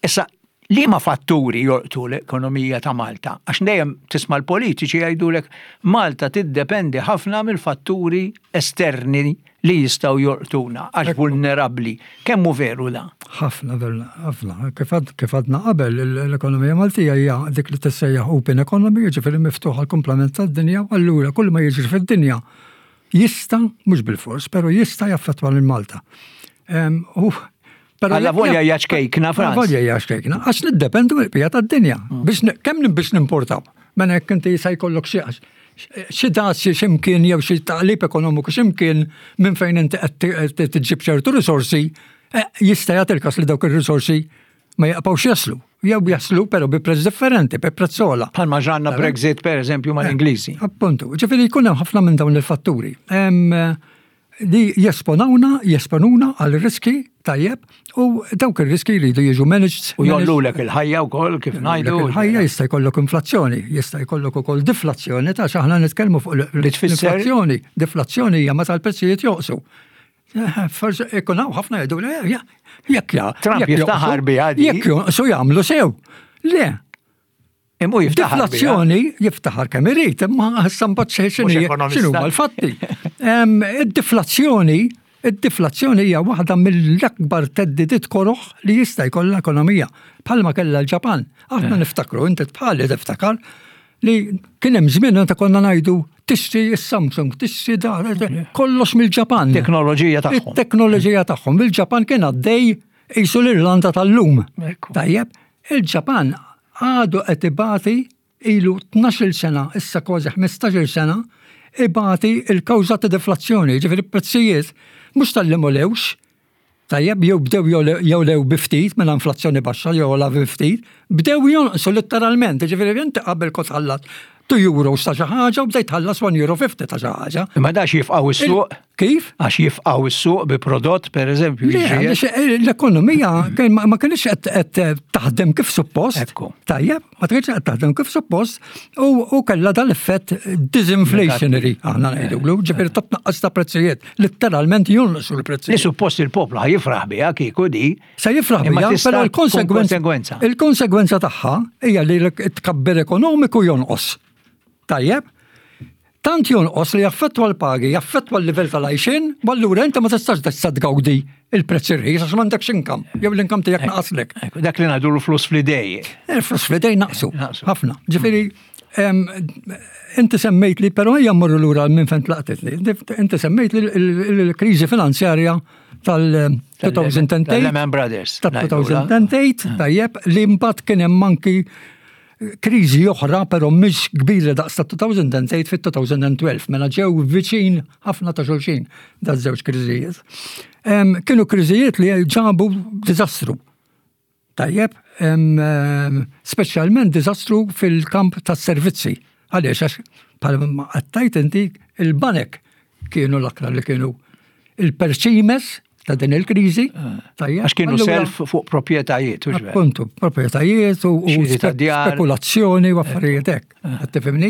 Issa, liema fatturi jolqtu l-ekonomija ta' Malta? Għax dejjem tisma' l-politiċi jgħidulek Malta tiddependi ħafna mill-fatturi esterni li jistgħu jolqtuna għax vulnerabbli. Kemm hu veru da? Ħafna, veru, ħafna. Kif għad- Kif għadna qabel, l-ekonomija Maltija hija dik li tissejjaħ open economy, ġifieri miftuħa l-komplement tad-dinja, u allura kull ma jiġri fid-dinja jista', mhux bil-fors, però jista' jaffettwa lil Malta. Em, U però Alla jekk- volja hija ċkejkna, Frans. Alla volja hija ċkejkna, għax niddependu mill-bqija tad-dinja. Biex ne- kemm biex nimportaw. Mela jekk inti se jkollok xi xi dazji x'imkien jew xi taqlib ekonomiku x'imkien minn fejn inti qed tiġib ċertu risorsi, eh, jista' jagħti l-każ li dawk ir-risorsi Ma jaqpawx jaslu. Jew jaslu però bi prezz differenti, bi prezz ogħla. Bħalma ġranna Brexit, per eżempju, mal-Ingliżi. Appuntu, ġifieri jkun hemm ħafna minn dawn il-fatturi. Li jesponawna, jesponuna għal riski, tajjeb, u dawk ir-riski jridu jiġu managed. U jgħollulek il-ħajja wkoll, kif ngħidu. Il-ħajja, jista' jkollok inflazzjoni, jista' jkollok ukoll deflazzjoni, ta' aħna nitkellmu fuq l-inflazzjoni. Deflazzjoni hija meta l-prezzijiet jonqsu. Forsi ikun hawn ħafna jgħidu, jekk ja. Trump jiftaħar biha. Jekk jonqsu jagħmlu sew. Le. Imma jiftaħar. Deflazzjoni jiftaħar kemm irid, imma issa mbagħad x'inhu l-fatti. Id-deflazzjoni, id-deflazzjoni hija waħda mill-akbar theddidiet koroħ li jista' jkollha ekonomija. Bħalma kellha l-Ġapan. Aħna eh. niftakru, inti bħali tiftakar li kien hemm żmien meta konna ngħidu tixtri s-Samsung, tixtri da, kollox mill-Ġapan. Teknoloġija tagħhom. Teknoloġija tagħhom. Il-Ġapan kien għaddej qisu l-Irlanda tal-lum. Tajjeb, il-Ġapan għadu qed ibati, ilu tnax-il sena, issa kważi ħmistax-il sena, ibati il-kawża ta' deflazzjoni, ġifieri prezzijiet mhux talli m'għolewx, tajjeb, jew bdew jogħlew bi ftit minn inflazzjoni baxxa jew la bi ftit, bdew jonqsu letteralment, ġifieri inti qabel kont tħallas two euros ta' xi ħaġa u bdejt tħallas one euro fifty ta' xi ħaġa. Imma dax jifqgħu is-suq? Kif? Għax jifqgħu is-suq bi prodott, per eżempju. Le, l-ekonomija ma kienx qed taħdem kif suppost. Ekku. Tajjeb, ma kienx qed taħdem kif suppost u kellha dal-effett disinflationary, aħna ngħidulu, ġifieri ta' tnaqqas ta' prezzijiet, letteralment jonqsu l-prezzijiet. Li suppost il-poplu ħa jifraħ biha kieku di. Se jifraħ biha, però il-konsegwenza il-konsegwenza tagħha hija li t-tkabbir ekonomiku jonqos. Tajjeb, tant jonqos li jaffettwa l-pagi, jaffettwa l-livell tal-għajxin, u allura inti ma tistax tista' tgawdi il-prezz irħis għax m'għandekx income, jew l-income tiegħek naqaslek. Dak li ngħidu l-flus fl-idej. Il-flus fl-idej naqsu. Ħafna. Ġifieri, inti semmejt li, però ejja mmorru lura minn fejn tlaqtitni. Inti semmejt li l-kriżi finanzjarja tal-elfejn u tmienja. Tal-Lehman Brothers. Tal-elfejn u tmienja, tajjeb, li mbagħad kien hemm anki kriżi oħra, però mhix kbira daqs ta' elfejn u tmienja fit-elfejn u tnax, mela ġew viċin ħafna ta' xulxin da' żewġ kriżijiet. Kienu kriżijiet li ġabu diżastru. Tajjeb, speċjalment diżastru fil-kamp tas-servizzi. Għaliex, għax bħalma għedt inti, il-banek kienu l-aktar li kienu il-perċimes ta' din il-kriżi. Tajjeb. Għax kienu self fuq proprjetajiet. Appuntu, proprjetajiet u spekulazzjoni u affarijiet hekk. Qed tifhimni?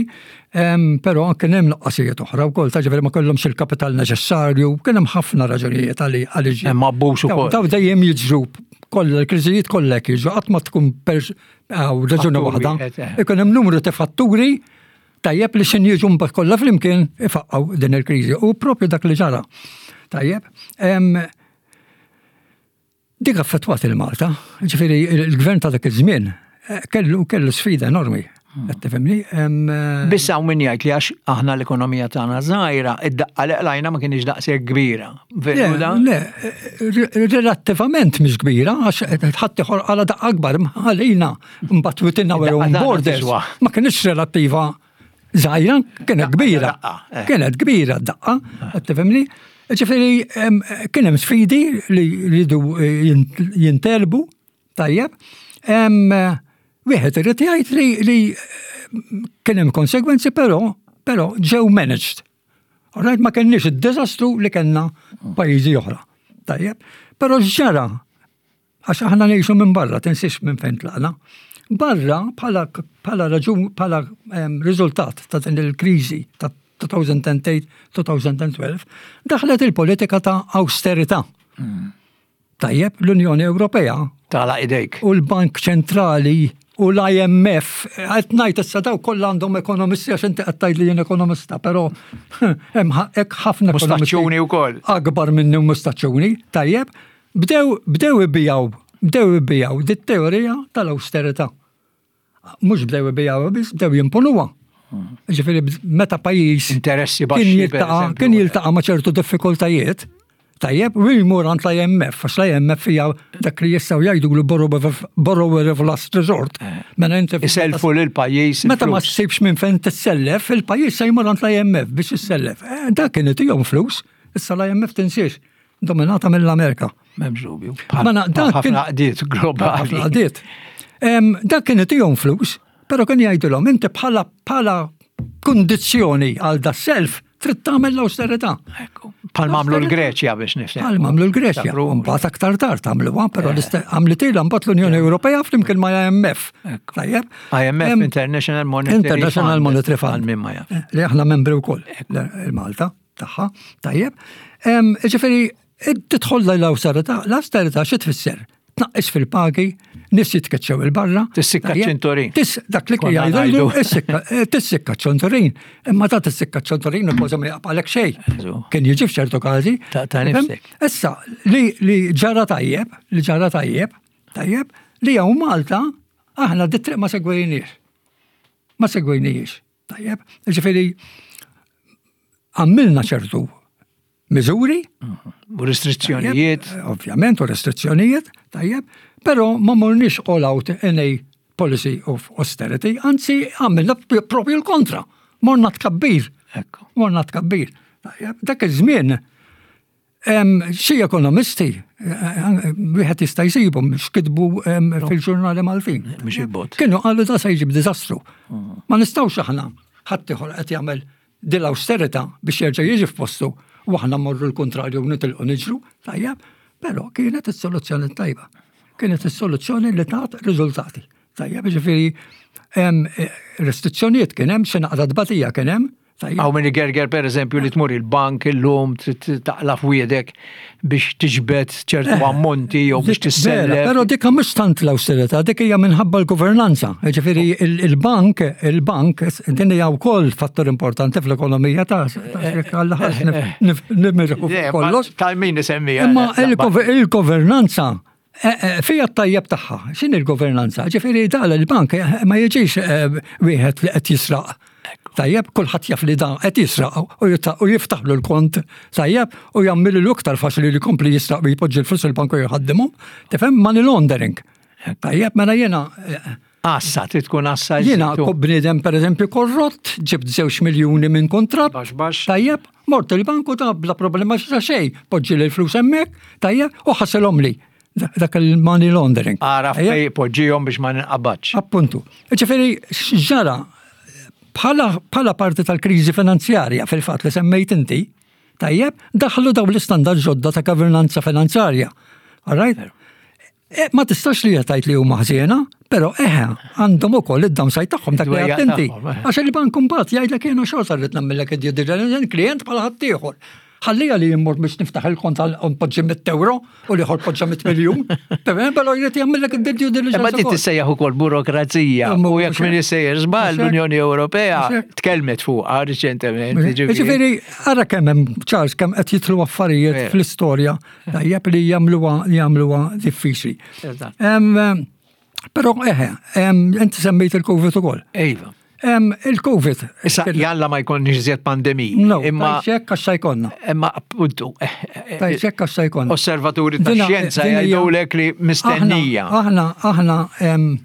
Però kien hemm nuqqasijiet oħra wkoll, ta' ġifieri ma kellhomx il-kapital neċessarju, kien hemm ħafna raġunijiet għaliex. Hemm abbuż ukoll. Daw dejjem jiġru kollha l-kriżijiet kollha jiġru, qatt ma tkun raġuni waħda. Ikun hemm numru ta' fatturi, tajjeb, li xin jiġu mbagħad kollha flimkien ifaqqgħu din il-kriżi. U propju dak li ġara. Tajjeb. Dik affettwat il-Malta, ġifieri il-gvern ta' dak iż-żmien eh, kellu kellu sfida enormi. Qed tifhimni? Eh, Biss hawn min jgħid li għax aħna l-ekonomija tagħna żgħira, id-daqqa li qlajna ma kienx daqshekk kbira. Le, le, relattivament mhix kbira, għax ħadd ieħor qala' daqqa akbar għalina mbagħad within our own borders. Ma kienx relattiva żgħira, kienet kbira. Eh. Kienet kbira d-daqqa, qed tifhimni? Ġifieri, kien hemm sfidi li jridu jintgħelbu, tajjeb. Wieħed irid jgħid li, li kien hemm konsegwenzi, però però ġew managed. Alright, ma kenniex id-diżastru li kellna pajjiżi oħra. Tajjeb. Però ġara, għax aħna ngħixu minn barra, tinsiex minn fejn tlaqna. Barra bħala bħala raġun, bħala riżultat ta' din il-kriżi ta' elfejn u tmienja-elfejn u tnax, daħlet il-politika ta' austerità. Mm. Tajjeb, l-Unjoni Ewropea. Tala idejk. U l-Bank Ċentrali u l-I M F, qed ngħid issa daw kollha għandhom ekonomisti, għax inti qed tgħid li jien ekonomista, però hemm hekk ħafna ekonomisti wkoll. Akbar minni u mustaċċuni, tajjeb, bdew bdew ibigħu, bdew ibigħu dit-teorija tal-austerità. Mhux bdew ibigħu biss, bdew jimponuha. Ġifieri meta pajjiż interessi baxxi kien jiltaqa' ma' ċertu diffikultajiet, tajjeb, u jmur għand l-I M F, għax l-I M F hija dak li jistgħu jgħidu l-borrower of last resort. Eh. Mela inti Iselfu lil pajjiż. Meta ma ssibx minn fejn tissellef, il-pajjiż se jmur għand l-I M F biex issellef. Eh, dak kien itihom flus, issa l-I M F, tinsiex, dominata mill-Amerika. M'hemmx dubju. Mela, dak kien- Ħafna għaqdiet globali. Ħafna għaqdiet. Em, Dak kien itihom flus, però kien jgħidulhom inti bħala bħala kundizzjoni għal da self trid tagħmel l-austerità. Ekku. Bħal m'għamlu l-Greċja biex nifhem. Bħal m'għamlu l-Greċja. Tabru. Mbagħad aktar tard għamluha, però l-iste- għamlitilha mbagħad l-Unjoni Ewropea flimkien ma' I M F. Ekku. Tajjeb. I M F, Em, International Monetary International Fund. Monetary Fund. Għal min ma jaf. Li aħna membri wkoll il-Malta tagħha. Tajjeb. Em, Ġifieri, tidħol l-austerità, l-austerità xi tfisser? Tnaqqis fil-pagi, nies jitkeċċew il-barra. Tissikka Tajjeb. ċinturin. Tis, dak li Konna jgħidu, ngħidu. issikka- eh, tissikka ċinturin. Imma ta' tissikka ċinturin u kważi ma jaqbgħalek xejn. Eżu. Kien jiġi f'ċertu każi. Ta' ta' Fhem? nifsek. Issa, li, li ġara tajjeb, li ġara tajjeb, tajjeb, li hawn Malta, aħna dit-triq ma segwejniex. Ma segwejniex. Tajjeb, ġifieri, għamilna ċertu miżuri, U restrizzjonijiet. tajjeb, ovvjament, u restrizzjonijiet, tajjeb, però ma morniex all out in a policy of austerity, anzi għamilna propju l-kontra. Morna tkabbir. Ekku. Morna tkabbir. Tajjeb, dak iż-żmien em, xi ekonomisti, eh, eh, wieħed jista' jsibhom x'kitbu em, fil-ġurnali Maltin. Mhux il-bot. Kienu qalu da se jġib diżastru. Ma nistgħux aħna ħadd ieħor qed jagħmel dil-austerità biex jerġa' jiġi f'postu u aħna morru l-kontrarju u nitilqu niġru, tajjeb, però kienet is-soluzzjoni tajba. Kienet is-soluzzjoni li tat riżultati. Tajjeb, ġifieri em, eh, restrizzjonijiet kien hemm, xi naqra tbatija kien hemm, tajjeb. Hawn min igerger, per eżempju, li tmur il-bank illum trid taqla f'wiedek biex tiġbed ċertu ammonti jew biex Dik- vera, tissellef. Però dik mhux tant l-austerità, dik hija minħabba l-governanza. Ġifieri il- il-bank, il-bank, din hija wkoll fattur importanti fl-ekonomija ta' ta' ħadd nimirħu Le, ma kollox. tal-min nisemmija. Imma il-gov- il-governanza eh, eh, fija t-tajjeb tagħha. X'inhi il-governanza? Ġifieri dal il-bank eh, ma jiġix eh, wieħed li qed jisraq. Tajjeb, kulħadd jaf li dan qed jisraq u jita- u jiftaħlu l-kont, tajjeb, u jagħmel iktar faċli li jkompli jisraq u jpoġġi l-flus il-bank u jħaddimhom. Tifhem, money laundering. Tajjeb, mela jiena eh, Assa, trid tkun assa. jiena jżidu. bniedem, per eżempju, korrott, ġibt żewġ miljuni minn kontratt. Baxx, baxx. Tajjeb, mort il-banku ta' bla problema xa xej, poġġi l-flus hemmhekk, tajjeb, u ħasilhom li. Dak il-money laundering. Ara Tajjeb? fej poġġihom biex ma ninqabadx. Appuntu. Ġifieri, ġara, bħala, bħala parti tal-kriżi finanzjarja fil-fatt li semmejt inti, tajjeb, daħlu daw l-istandard ġodda ta' governanza finanzjarja. All right? E, ma tistax li tgħid li huma ħżiena, però eħe, għandhom ukoll id-downside tagħhom, dak li Id-dwejjaq għedt inti. tagħhom, eh. Għax il-bank mbagħad jgħidlek jiena xorta rrid nagħmellek id-due diligence, klient bħala ħaddieħor. Ħallija li jimmur biex niftaħ il-kont għal poġġi mitt euro u l-ieħor poġġa mitt miljun. Però jrid jagħmellek id-due diligence Imma din ukoll. tissejjaħ ukoll burokrazija. Imma U jekk mhux min hekk. isejjer żball, Mhux hekk. l-Unjoni Ewropea Mhux hekk. tkellmet fuqha riċentement. Ġifieri, ara kemm hemm, Charles, kemm qed jidħlu affarijiet Vera. fl-istorja tajjeb li jagħmluha jagħmluha diffiċli. Eżatt. Em, Però eħe, em, inti semmejt il-Covid ukoll. Iva. Em, Il-Covid. Issa jalla ma jkunniex iżjed pandemiji. No, Imma tajxek għax se jkollna. imma appuntu eh, eh, Tajxek għax se jkollna. osservaturi ta' Dina- xjenza din hija- jgħidulek li mistennija. Aħna, aħna, em,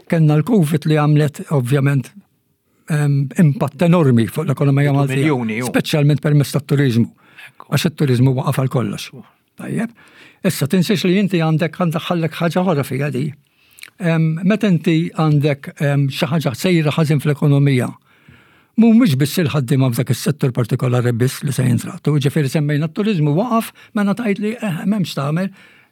kellna l-Covid li għamlet ovvjament em, impatt enormi fuq l-ekonomija Maltija. Miljuni, ju. Speċjalment permezz tat-turizmu. Għax it-turizmu waqaf għal kollox. Tajjeb. Issa tinsiex li inti għandek għandek ħallek ħaġa oħra fija di. Em, Meta inti għandek em, xi ħaġa sejra ħażin fl-ekonomija, mhumiex biss il-ħaddiema f'dak is-settur partikolari biss li se jintratu. Ġifieri semmejna t-turizmu waqaf, mela tgħid li eh, m'hemmx tagħmel,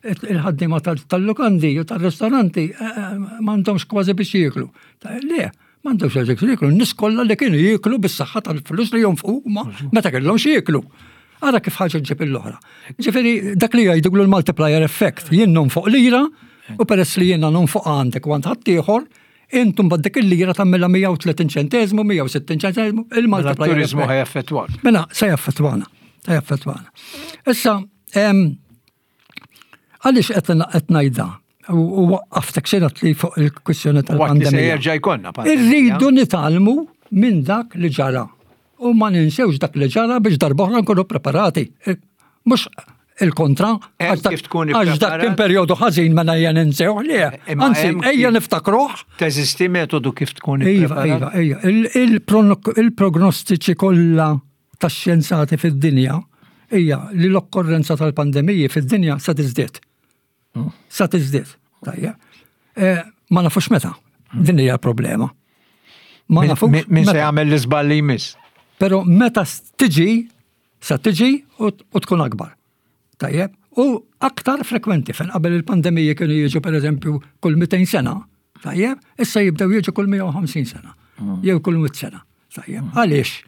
il-ħaddiema tal- tal-lukandi u tal-ristoranti eh, eh, m'għandhomx kważi biex jieklu. Ta' Le, m'għandhomx kważi biex jieklu. N-nies kollha li kienu jieklu bis-saħħa tal-flus li jonfqu huma meta kellhom jieklu. Ara kif ħaġa ġib l-oħra. Ġifieri dak li jgħidu l-multiplier effect, jien nonfoq lira u peress li jiena nonfoq għandek u għand ħaddieħor, intum bad dik il-lira tagħmilha mija u tletin ċentesmu, mija u sittin ċentesmu, Mela il-multiplier t-turizmu effect. ħa jaffettwak. Mela, se jaffettwana, se jaffettwana. Issa, em, għaliex qed qed ngħidha u u waqqaftek xi li fuq il-kwistjoni Waqt li se tal-pandemija. jerġa' jkollna pandemija. Irridu nitgħallmu minn dak li ġara. U ma ninsewx dak li ġara biex darb'oħra nkunu preparati. Mhux il-kontra, Hemm għax dak- kif tkun għax dak kien ippreparat. perjodu ħażin mela ejja ninsew le. Imma Anzi, hemm ejja kif- niftakruh. Teżisti metodu kif tkun Iva, ippreparat? iva, iva. Il- il-prono- Il-prognostiċi kollha tax-xjenzati fid-dinja hija li l-okkorrenza tal-pandemiji fid-dinja se tiżdied. Sa tiżdied. Tajjeb. Eh, Ma nafux meta. Din hija l-problema. Ma Min- nafux Min min se meta. jagħmel l-iżball li jmiss? Pero meta tiġi, sa tiġi u u tkun akbar. Tajjeb? U aktar frekwenti, fejn qabel il-pandemija kienu jiġu per eżempju kull mitejn sena. Tajjeb? Issa jibdew jiġu kull mija u ħamsin sena. Jew kull mitt sena. Tajjeb? Għaliex?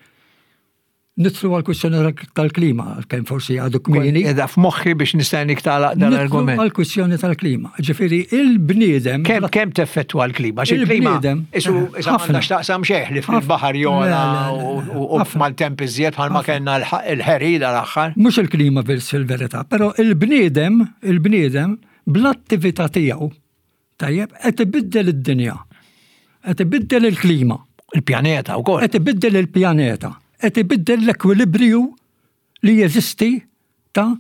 Nidħlu għal-kwistjoni tal-klima, kemm forsi għadu kmieni. Edha f'moħħi biex nistennik tagħlaq dan Nidħlu l-argument. għal-kwistjoni tal-klima. Ġifieri, il-bniedem. Kemm kemm teffettwa l-klima? Għax il-klima Il-bniedem, isu issa ħafna. m'għandax taqsam xejn li fil-baħar jogħla Le, le, le, u- u ħafna. mal-temp iżjed bħalma kellna l- il-ħeri dal-aħħar. Mhux il-klima fil-verità, però il-bniedem, il-bniedem bl-attività tiegħu, tajjeb, qed ibiddel id-dinja, qed ibiddel il-klima, Il-pjaneta wkoll. qed ibiddel il-pjaneta, qed ibiddel l-ekwilibrju li jeżisti ta'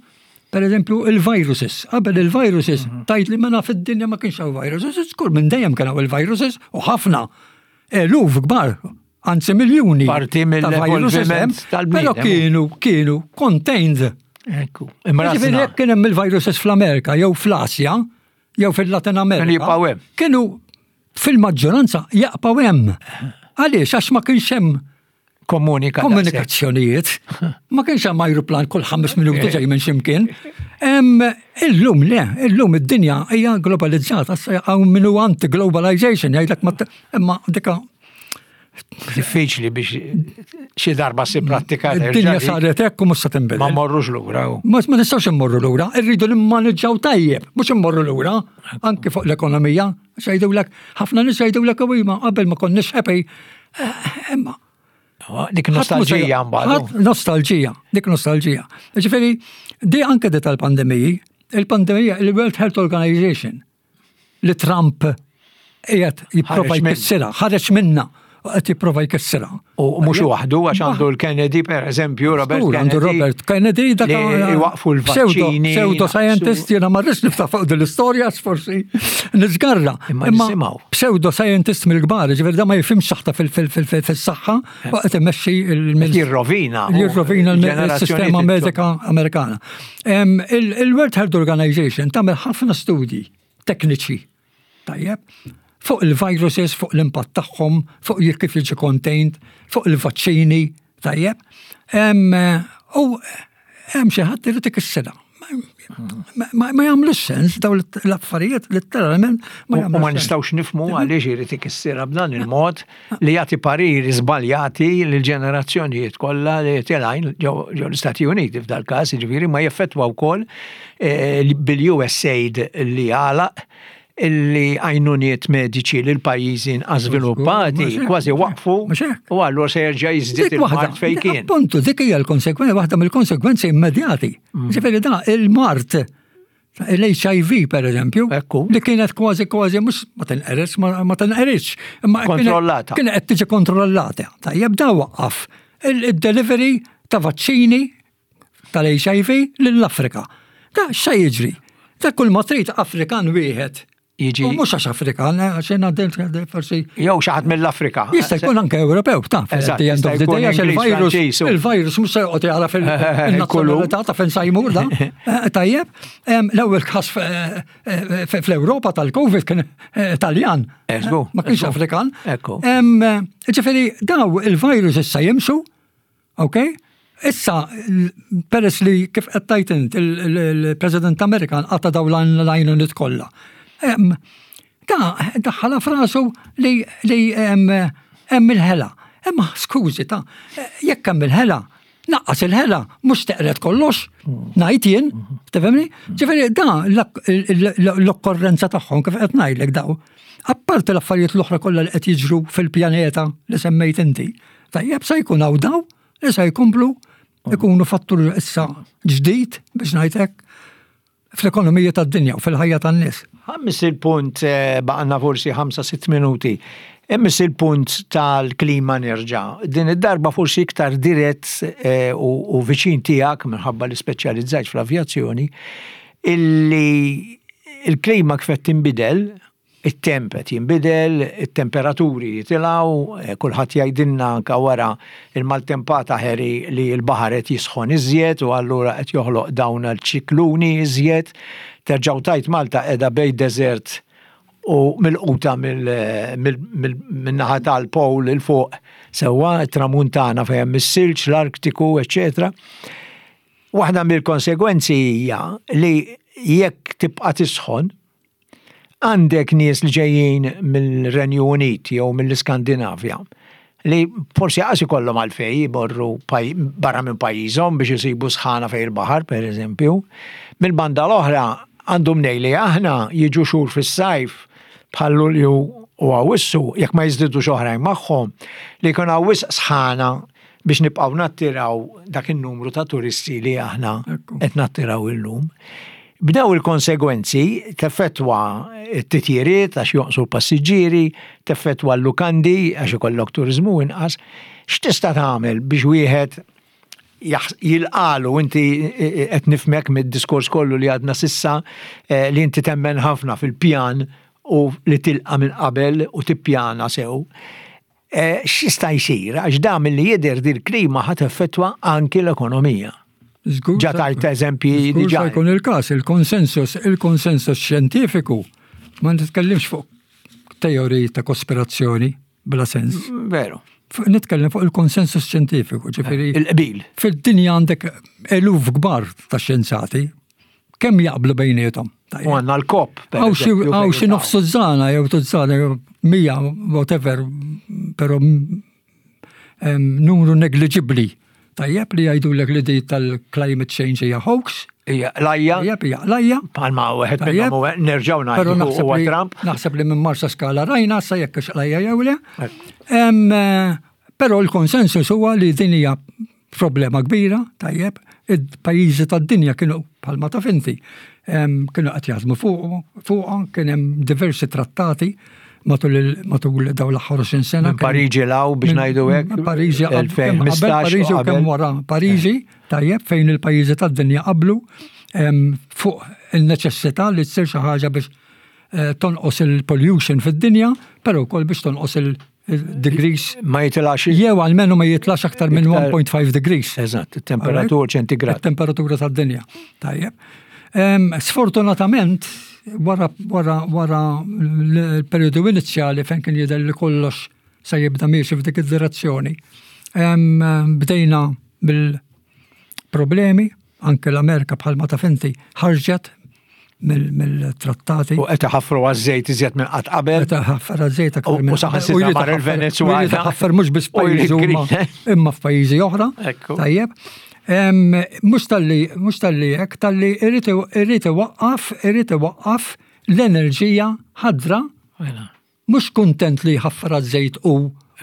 per eżempju il-viruses. Qabel il-viruses, tajt li mena fid-dinja ma kienx hawn viruses, żgur minn dejjem kien hawn il-viruses u ħafna. Eluf kbar, anzi miljuni. Parti ta' viruses mill-evolviment hemm, tal-bniedem. Però kienu, kienu contained. Ekku. Ġifieri Imrażna. jekk kien hemm il-viruses fl-Amerika jew fl-Asja jew fil-Latin Amerika. Kienu jibqgħu hemm. Kienu fil-maġġoranza jaqbgħu hemm. Għaliex? Għax ma kienx hemm Komunika. komunikazzjonijiet. Ma kienx hemm ajruplan kull ħames minuti ġej minn ximkien. Em, Illum le, illum id-dinja hija globalizzata, hawn min hu anti-globalization, jgħidlek ma imma dika Diffiċli biex xi darba si prattika. Id-dinja saret hekk u mhux se tinbidel. Ma morrux lura. u. Ma ma nistgħux immorru lura, irridu nimmaneġġaw tajjeb, mhux immorru lura, anki fuq l-ekonomija, jgħidulek, ħafna nies jgħidulek u ma qabel ma konniex happy. Eh, Imma Dik nostalġija mbagħad. Ħadd nostalġija, dik nostalġija. Ġifieri, di anke di tal-pandemiji, il-pandemija, il-World Health Organization, li Trump qiegħed jipprova Ħareġ minn- jkissirha, ħareġ minna, u qed jipprova jkissirha. U mhux waħdu għax għandu l-Kennedy per eżempju, Robert Żgur, għandu Kennedy. Robert Kennedy, dak li iwaqfu l-vaċċini. Pseudo scientist, jiena ma rridx niftaħ fuq din l-istorja, forsi nisgarra. Imma nisimgħu. Pseudo scientist mill-kbar, ġifieri da ma jifhimx saħta fil-saħħa, u qed imexxi il- Jirrovina. Jirrovina Il-ġenerazzjoni il-sistema medika Amerikana. Em, il- Il-World Health Organization tagħmel ħafna studji tekniċi, tajjeb, fuq il-viruses, fuq l-impatt tagħhom, fuq jekk kif jiġi contained, fuq il-vaċċini, tajjeb. Em, U hemm xi ħadd irid ikissirha. Ma- Ma ma jagħmlux sens daw l-affarijiet letteralment ma U u ma jagħmlux sens. nistgħux nifhmu għaliex irid ikissirha b'dan il-mod li jagħti pariri żbaljati lil ġenerazzjonijiet kollha li telgħin ġew ġew l-Istati Uniti f'dal każ, jiġifieri ma jeffettwa wkoll eh, bil-USAID li għalaq illi għajnuniet mediċi lil pajjiżi inqas żviluppati mhux hekk, kważi waqfu mhux hekk. u allura se jerġa' jiżdied Dik waħda, il-mard fejn kien. Appuntu, dik hija l-konsekwenza, waħda mill-konsekwenzi immedjati. Mm. Ġifieri da il-mard l-H I V per eżempju, Ekku. li kienet kważi kważi mhux ma tinqeritx, ma ma tinqeritx, imma kienet- Kontrollata. Kienet qed tiġi kontrollata. Tajjeb, da waqqaf il-delivery ta' vaċċini tal-H I V lill-Afrika. Da x'se jiġri? Da kull ma trid Afrikan wieħed. Jiġi- U mhux għax Afrikan, eh, għax jiena forsi Jew xi ħadd mill-Afrika. Jista' jkun anke Ewropew, ta' Eżatt, at the end jista' of the jkun day, għax Ingliż, il-virus, Franċiż, u- il-virus mhux se joqgħod jara fil-nazzjonalità ta' fejn se jmur da. Eh, Tajjeb, em, l-ewwel każ eh, eh, fl-Ewropa tal-Covid kien eh, Taljan. Eżgu, Ma kienx eżgu. Afrikan. Ekku. Em, eh, Ġifieri, daw il-virus issa jimxu, ok? Issa, l- peress li kif qed tajt int, il- il- il-President Amerikan qata daw l-għajnuniet kollha. Em, Da, daħħala f'rasu li li hemm hemm il-ħela. Imma skużi ta' jekk hemm il-ħela, naqqas il-ħela, mhux teqret kollox, ngħid jien, tifhimni? Ġifieri da l-okkorrenza tagħhom kif qed ngħidlek daw. Apparti l-affarijiet l-oħra kollha li qed jiġru fil-pjaneta li semmejt inti. Tajjeb, se jkun hawn daw li se jkomplu ikunu fattur issa ġdid biex ngħidlek fl-ekonomija tad-dinja u fil-ħajja tan-nies. Ħammis il-punt, eh, baqgħalna forsi ħamsa sitt minuti. Immis il-punt tal-klima nerġa'. Din id-darba forsi iktar dirett eh, u, u viċin tiegħek minħabba li speċjalizzajt fl-avjazzjoni, illi il-klima kif qed tinbidel It-temp qed jinbidel, it-temperaturi jitilgħu, eh, kulħadd jgħidilna anke wara il-maltempata Harry li l-baħar qed jisħon iżjed u allura qed joħloq dawn il-ċikluni iżjed. Terġgħu tajt Malta qiegħda bejn desert u milquta min-naħa tal-pol 'il fuq sewwa tramuntana fejn hemm is-silġ, l-Artiku, eċetera. Waħda mill-konsegwenzi hija li jekk tibqa' tisħon, għandek nies li ġejjin mill-Renju Unit jew mill-Iskandinavja li forsi għax ikollhom għalfejn jmorru barra minn pajjiżhom biex isibu sħana fejn il-baħar, per eżempju. Mill-banda l-oħra għandhom li aħna jiġu xhur fis-sajf bħal Lulju u Awwissu, jekk ma jiżdidux oħrajn magħhom, li jkun hawn wisq sħana biex nibqgħu nattiraw dak in-numru ta' turisti li aħna qed nattiraw illum. B'dawn il-konsegwenzi teffettwa t-titjiriet għax jonqsu l-passiġġieri, teffettwa l-lukandi għax ikollok turizmu inqas. X'tista' tagħmel biex wieħed jilqagħlu? Inti qed nifhmek mid-diskors kollu li għadna s'issa eh, li inti temmen ħafna fil-pjan u li tilqa minn qabel u tippjana sew. Eh, x'jista' jsir? Għax da milli jidher dil-klima ħa teffettwa anki l-ekonomija. Ġa tajt eżempji diġà. Jkun il-każ, il-konsensus, il-konsensus xjentifiku, ma nitkellimx fuq teoriji ta' kospirazzjoni bla sens. Veru. Nitkellem fuq il-konsensus xjentifiku, ġifieri. Il-qbil. Fid-dinja għandek eluf kbar ta' xjenzati, kemm jaqblu bejniethom? U għandna l-COP. Hawn xi nofs tużżana jew tużżana jew mija, whatever, però numru negliġibbli. Tajjeb, li jgħidulek li di tal-climate change hija hoax. Hija qlajja. Tajjeb, hija qlajja. Palma wieħed minnhom nerġgħu ngħidu huwa Trump. Naħseb li minn Marsa Skala rajna sa jekk qlajja jew le. Però l-konsensus huwa li din hija problema kbira, tajjeb, il-pajjiżi tad-dinja kienu, bħalma taf inti, kienu qed jaħdmu fuqha, kien hemm diversi trattati matul matul dawn l-aħħar għoxrin sena. Minn Pariġi 'l hawn, biex ngħidu hekk. Pariġi qabel Pariġi u kemm wara Pariġi, tajjeb, fejn il-pajjiżi tad-dinja qablu fuq il-neċessità li tsir xi ħaġa biex eh, tonqos il-pollution fid-dinja, però wkoll biex tonqos il-degrees. Ma jitlax. Jew almenu ma jitlax aktar minn one point five degrees. Eżatt, il-temperatura ċentigrad. Il-temperatura tad-dinja. Tajjeb. Sfortunatament, wara wara wara l-periodu inizjali fejn kien jidher li kollox se jibda miexi f'dik id-direzzjoni, bdejna bil-problemi, anke l-Amerika, bħalma taf inti, ħarġet mill-trattati. U qed iħaffru għaż-żejt iżjed minn qatt qabel. Qed iħaffer għaż-żejt aktar minn. U saħansitra mar il-Venezuela. Ħaffer mhux biss pajjiżi imma f'pajjiżi oħra. Tajjeb. Mhux talli mhux talli hekk, talli irid iwaqqaf, irid iwaqqaf l-enerġija ħadra. Mhux kuntent li jħaffer għaż-żejt u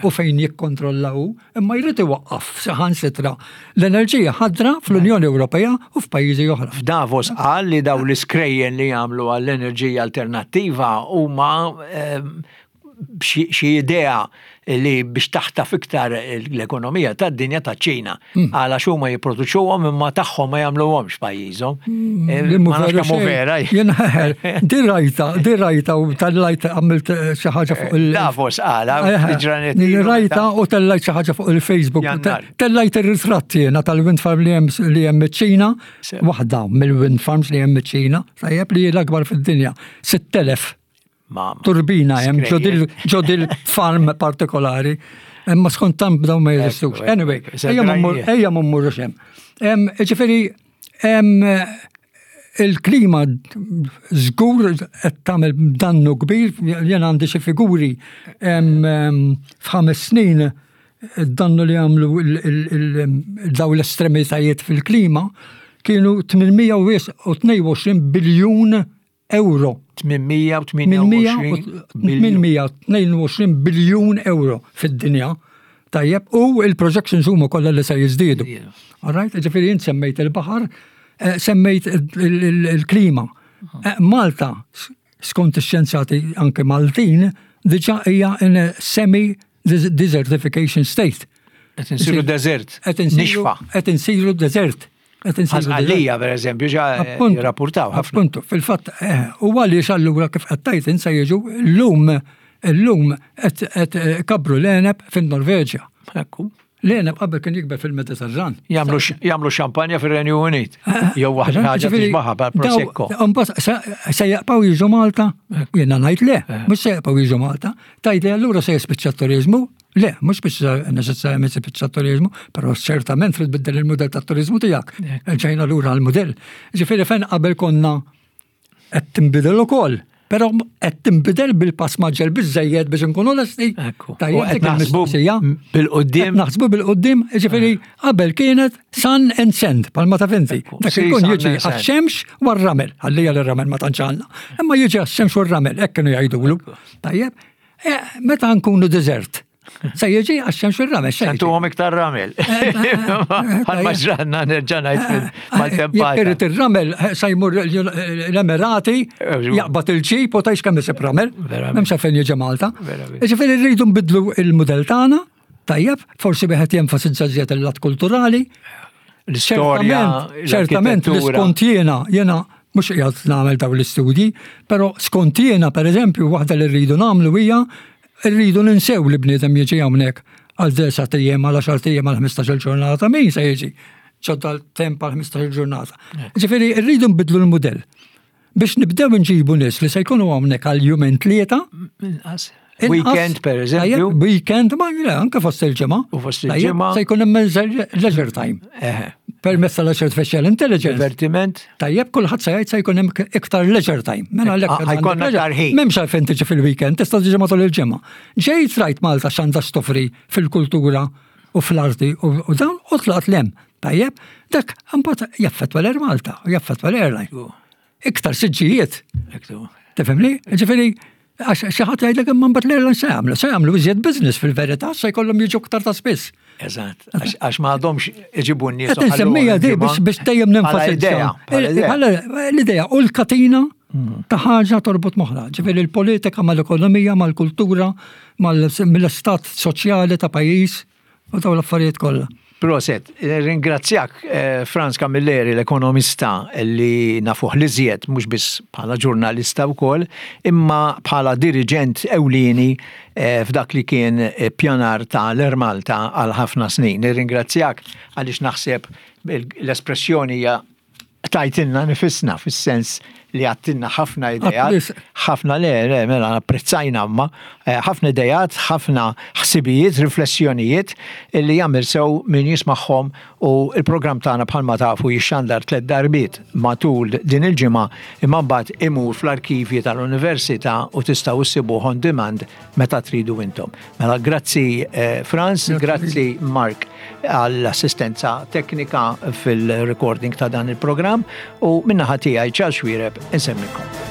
u fejn jikkontrolla hu, imma jrid iwaqqaf saħansitra l-enerġija ħadra fl-Unjoni Ewropea u f'pajjiżi oħra. F'Davos qal li daw l-iskrejjen li jagħmlu għall-enerġija alternattiva huma xi idea li biex taħtaf iktar l-ekonomija tad-dinja ta' Ċina. Hmm. Għala huma jipproduċuhom imma tagħhom ma jagħmluhomx pajjiżhom. Hmm. Eh, ma nafx kemm vera. Jien di rajta, di rajta u tellajt, għamilt xi ħaġa fuq il- Davos għala, ġranet. Rajta u tellajt xi ħaġa fuq il-Facebook. Tellajt ir-ritratt jiena tal-wind farm li hemm li hemm iċ-Ċina, waħda mill-wind farms li hemm iċ-Ċina, tajjeb, li l-akbar fid-dinja, sitt elef turbina hemm ġo dil-farm partikolari. Imma skont Trump dawn ma jeżistux. Anyway, ejja ma mmurrux hemm. Ġifieri, il-klima żgur qed tagħmel dannu kbir, jien għandi xi figuri, f'ħames snin id-dannu li għamlu daw l-estremitajiet fil-klima kienu tmien mija u tnejn u għoxrin biljun euro. tmien mija u tmienja u għoxrin. tmien mija u tnejn u għoxrin biljun euro fid-dinja. Tajjeb, u il-projections huma kollha li se jiżdiedu. All right, ġifieri jien semmejt il-baħar, eh, semmejt il-klima. Eh, Malta, skont ix-xjenzati anke Maltin, diġà hija in a semi desertification state. Qed insiru desert. Qed insiru desert. Qed insibu Għalija, per eżempju, ġa Appuntu, jirrapportaw ħafna. Appuntu, fil-fatt, eh, u għaliex allura kif qed tgħid se jiġu llum illum qed qed kabru l-għeneb fin-Norveġja. Ekku. L-għeneb qabel kien jikber fil-Mediterran. Jagħmlu jagħmlu xampanja fir-Renju Unit. Jew waħda ħaġa Ġifieri, tixbaħha bħal Prosecco. daw- Mbagħad se se jaqbgħu jiġu Malta? Jiena ngħid le, mhux se jaqbgħu jiġu Malta. Tgħid li allura se jispiċċa t-turizmu? Le, mhux biex neċessarjament jispiċċa t-turizmu, però ċertament trid tbiddel il-mudell tat-turizmu tiegħek. Ġejna lura għall-mudell. Ġifieri fejn qabel konna qed tinbidel ukoll. Però qed tinbidel bil-pass mgħaġġel biżejjed biex inkunu lesti. Ekku. Tajjeb, U qed dik naħsbu il-mistoqsija. bil-quddiem. Qed naħsbu bil-quddiem, ġifieri qabel kienet sun and sand, palma ta' finti. Ekku. Dak Si, ikun sun jiġi and sand. għax-xemx u r-ramel. Għallija l-ramel ma tantx għandna. Imma jiġi għax-xemx u r-ramel, hekk kienu jgħidulu. Tajjeb, eh, meta nkunu desert, se jiġi għax-xemx u r-ramel. se jiġi. Santuhom iktar ramel. Għal maġranna nerġa' ngħid mal-tempata. Jekk irid ir-ramel eh, se jmur l-Emirati, jaqbad il-ġip u tgħix kemm isib ramel. Verament. M'hemmx fejn jiġi Malta. Verament. Ġifieri rridu nbidlu il-mudell tagħna, tajjeb, forsi wieħed jenfasizza żjed il-lat kulturali. L-istorja, Ċertament, ċertament li l-arkitettura. skont jiena, jiena mhux qiegħed nagħmel dawn l-istudji, però skont jiena pereżempju waħda li rridu nagħmlu hija rridu ninsew li bniedem jiġi hawnhekk għal disat ijiem, għal għaxart ijiem, għal ħmistax-il ġurnata, min se jiġi ġodda l-temp għal ħmistax-il ġurnata. Ġifieri rridu nbidlu l-mudell biex nibdew nġibu nies li se jkunu hawnhekk għal jumejn tlieta. Inqas. Inqas. Weekend, per eżempju. Tajjeb, weekend, ma le, anke fost il-ġimgħa. U fost Tajjeb, il-ġimgħa. Se jkun hemm leisure time. Eħe. Permezz tal-artificial intelligence. Divertiment. Tajjeb, kulħadd se jgħid se jkun hemm iktar leisure time. Mela għalhekk Ah, ħa jkollna għandek iktar ħin. M'hemmx għalfejn tiġi fil-weekend, tista' tiġi matul il-ġimgħa. Ġejt rajt Malta x'għandha x'toffri fil-kultura u fl-arti u u dawn u tlaqt 'l hemm. Tajjeb, dak imbagħad jaffettwa l-Air Malta u jaffettwa l-airline. Iktar siġġijiet. Ekku. Tifhimni? Ġifieri, għax xi ħadd jgħidlek imma mbagħad l-airline se jagħmlu, se jagħmlu iżjed business fil-verità, se jkollhom jiġu aktar ta' spiss. Eżatt. Għax għax ma għadhomx iġibu n-nies. Qed insemmija di biex biex dejjem nenfasizza. idea. Bħala idea. Bħala L-idea u l-katina ta' ħaġa torbot m'oħra. Ġifieri l-politika mal-ekonomija, mal-kultura, mal-istat soċjali ta' pajjiż u dawn l-affarijiet kollha. Prosit, ringrazzjak eh, Frans Camilleri, l-ekonomista li nafuh l-iżjed, mhux biss bħala ġurnalista wkoll, imma bħala diriġent ewlieni eh, f'dak li kien eh, pjanar ta' l-Air Malta għal ħafna snin. Nirringrazzjak għaliex naħseb l-espressjoni hija tajtilna nifisna fis-sens li għattilna ħafna idejat, Għatlis. ħafna le, le, mela apprezzajna ma, eh, ħafna idejat, ħafna ħsibijiet, riflessjonijiet li jagħmel sew min jismagħhom u il-programm tagħna bħalma tafu jixxandar tliet darbiet matul din il-ġimgħa imma mbagħad imur fl-arkivji tal-Università u tistgħu issibuh on demand meta tridu intom. Mela grazzi eh, Frans, grazzi Mark għall-assistenza teknika fil-recording ta' dan il-programm u min-naħa tiegħi Charles Xuereb insellmilkom.